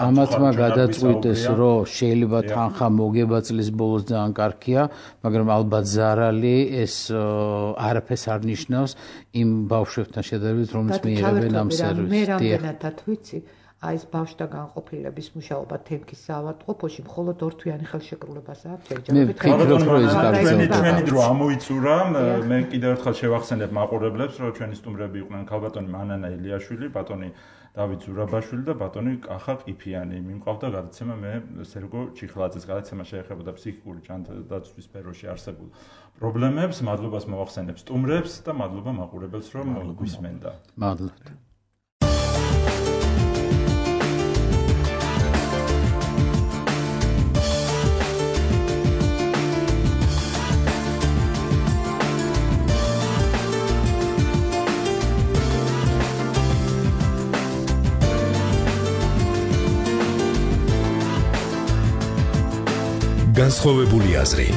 ამათმა გადაწყვიტეს, რომ შეიძლება თანხა მოგება წლის ბოლოს ძალიან კარგია, მაგრამ ალბათ ზარალი ეს არაფერს არ ნიშნავს იმ ბავშვებთან შედარებით, რომლებიც მიიღებენ ამ სერვისს. მე რამდენადაც ვიცი, აი ეს ბავშვთა განყოფილების მუშაობა თემქის საავადმყოფოში მხოლოდ ორთვიანი ხელშეკრულებას აქვს ჯერჯერობით ჩვენი დრო ამოიწურა. მე კიდევ ერთხელ შევახსენებ მაყურებლებს, რომ ჩვენი სტუმრები იყვნენ ქალბატონი მანანა ილიაშვილი, ბატონი დავით ზურაბაშვილი და ბატონი კახა ყიფიანი. მიმყავდა გადაცემა მე სერგო ჩიხლაძეს. გადაცემა შეეხებოდა ფსიქიკური ჯანდაცვის სფეროში არსებულ პრობლემებს. მადლობას მოვახსენებ სტუმრებს და მადლობა მაყურებელს, რომ გვისმენდა. მადლობა. განსხვავებული აზრი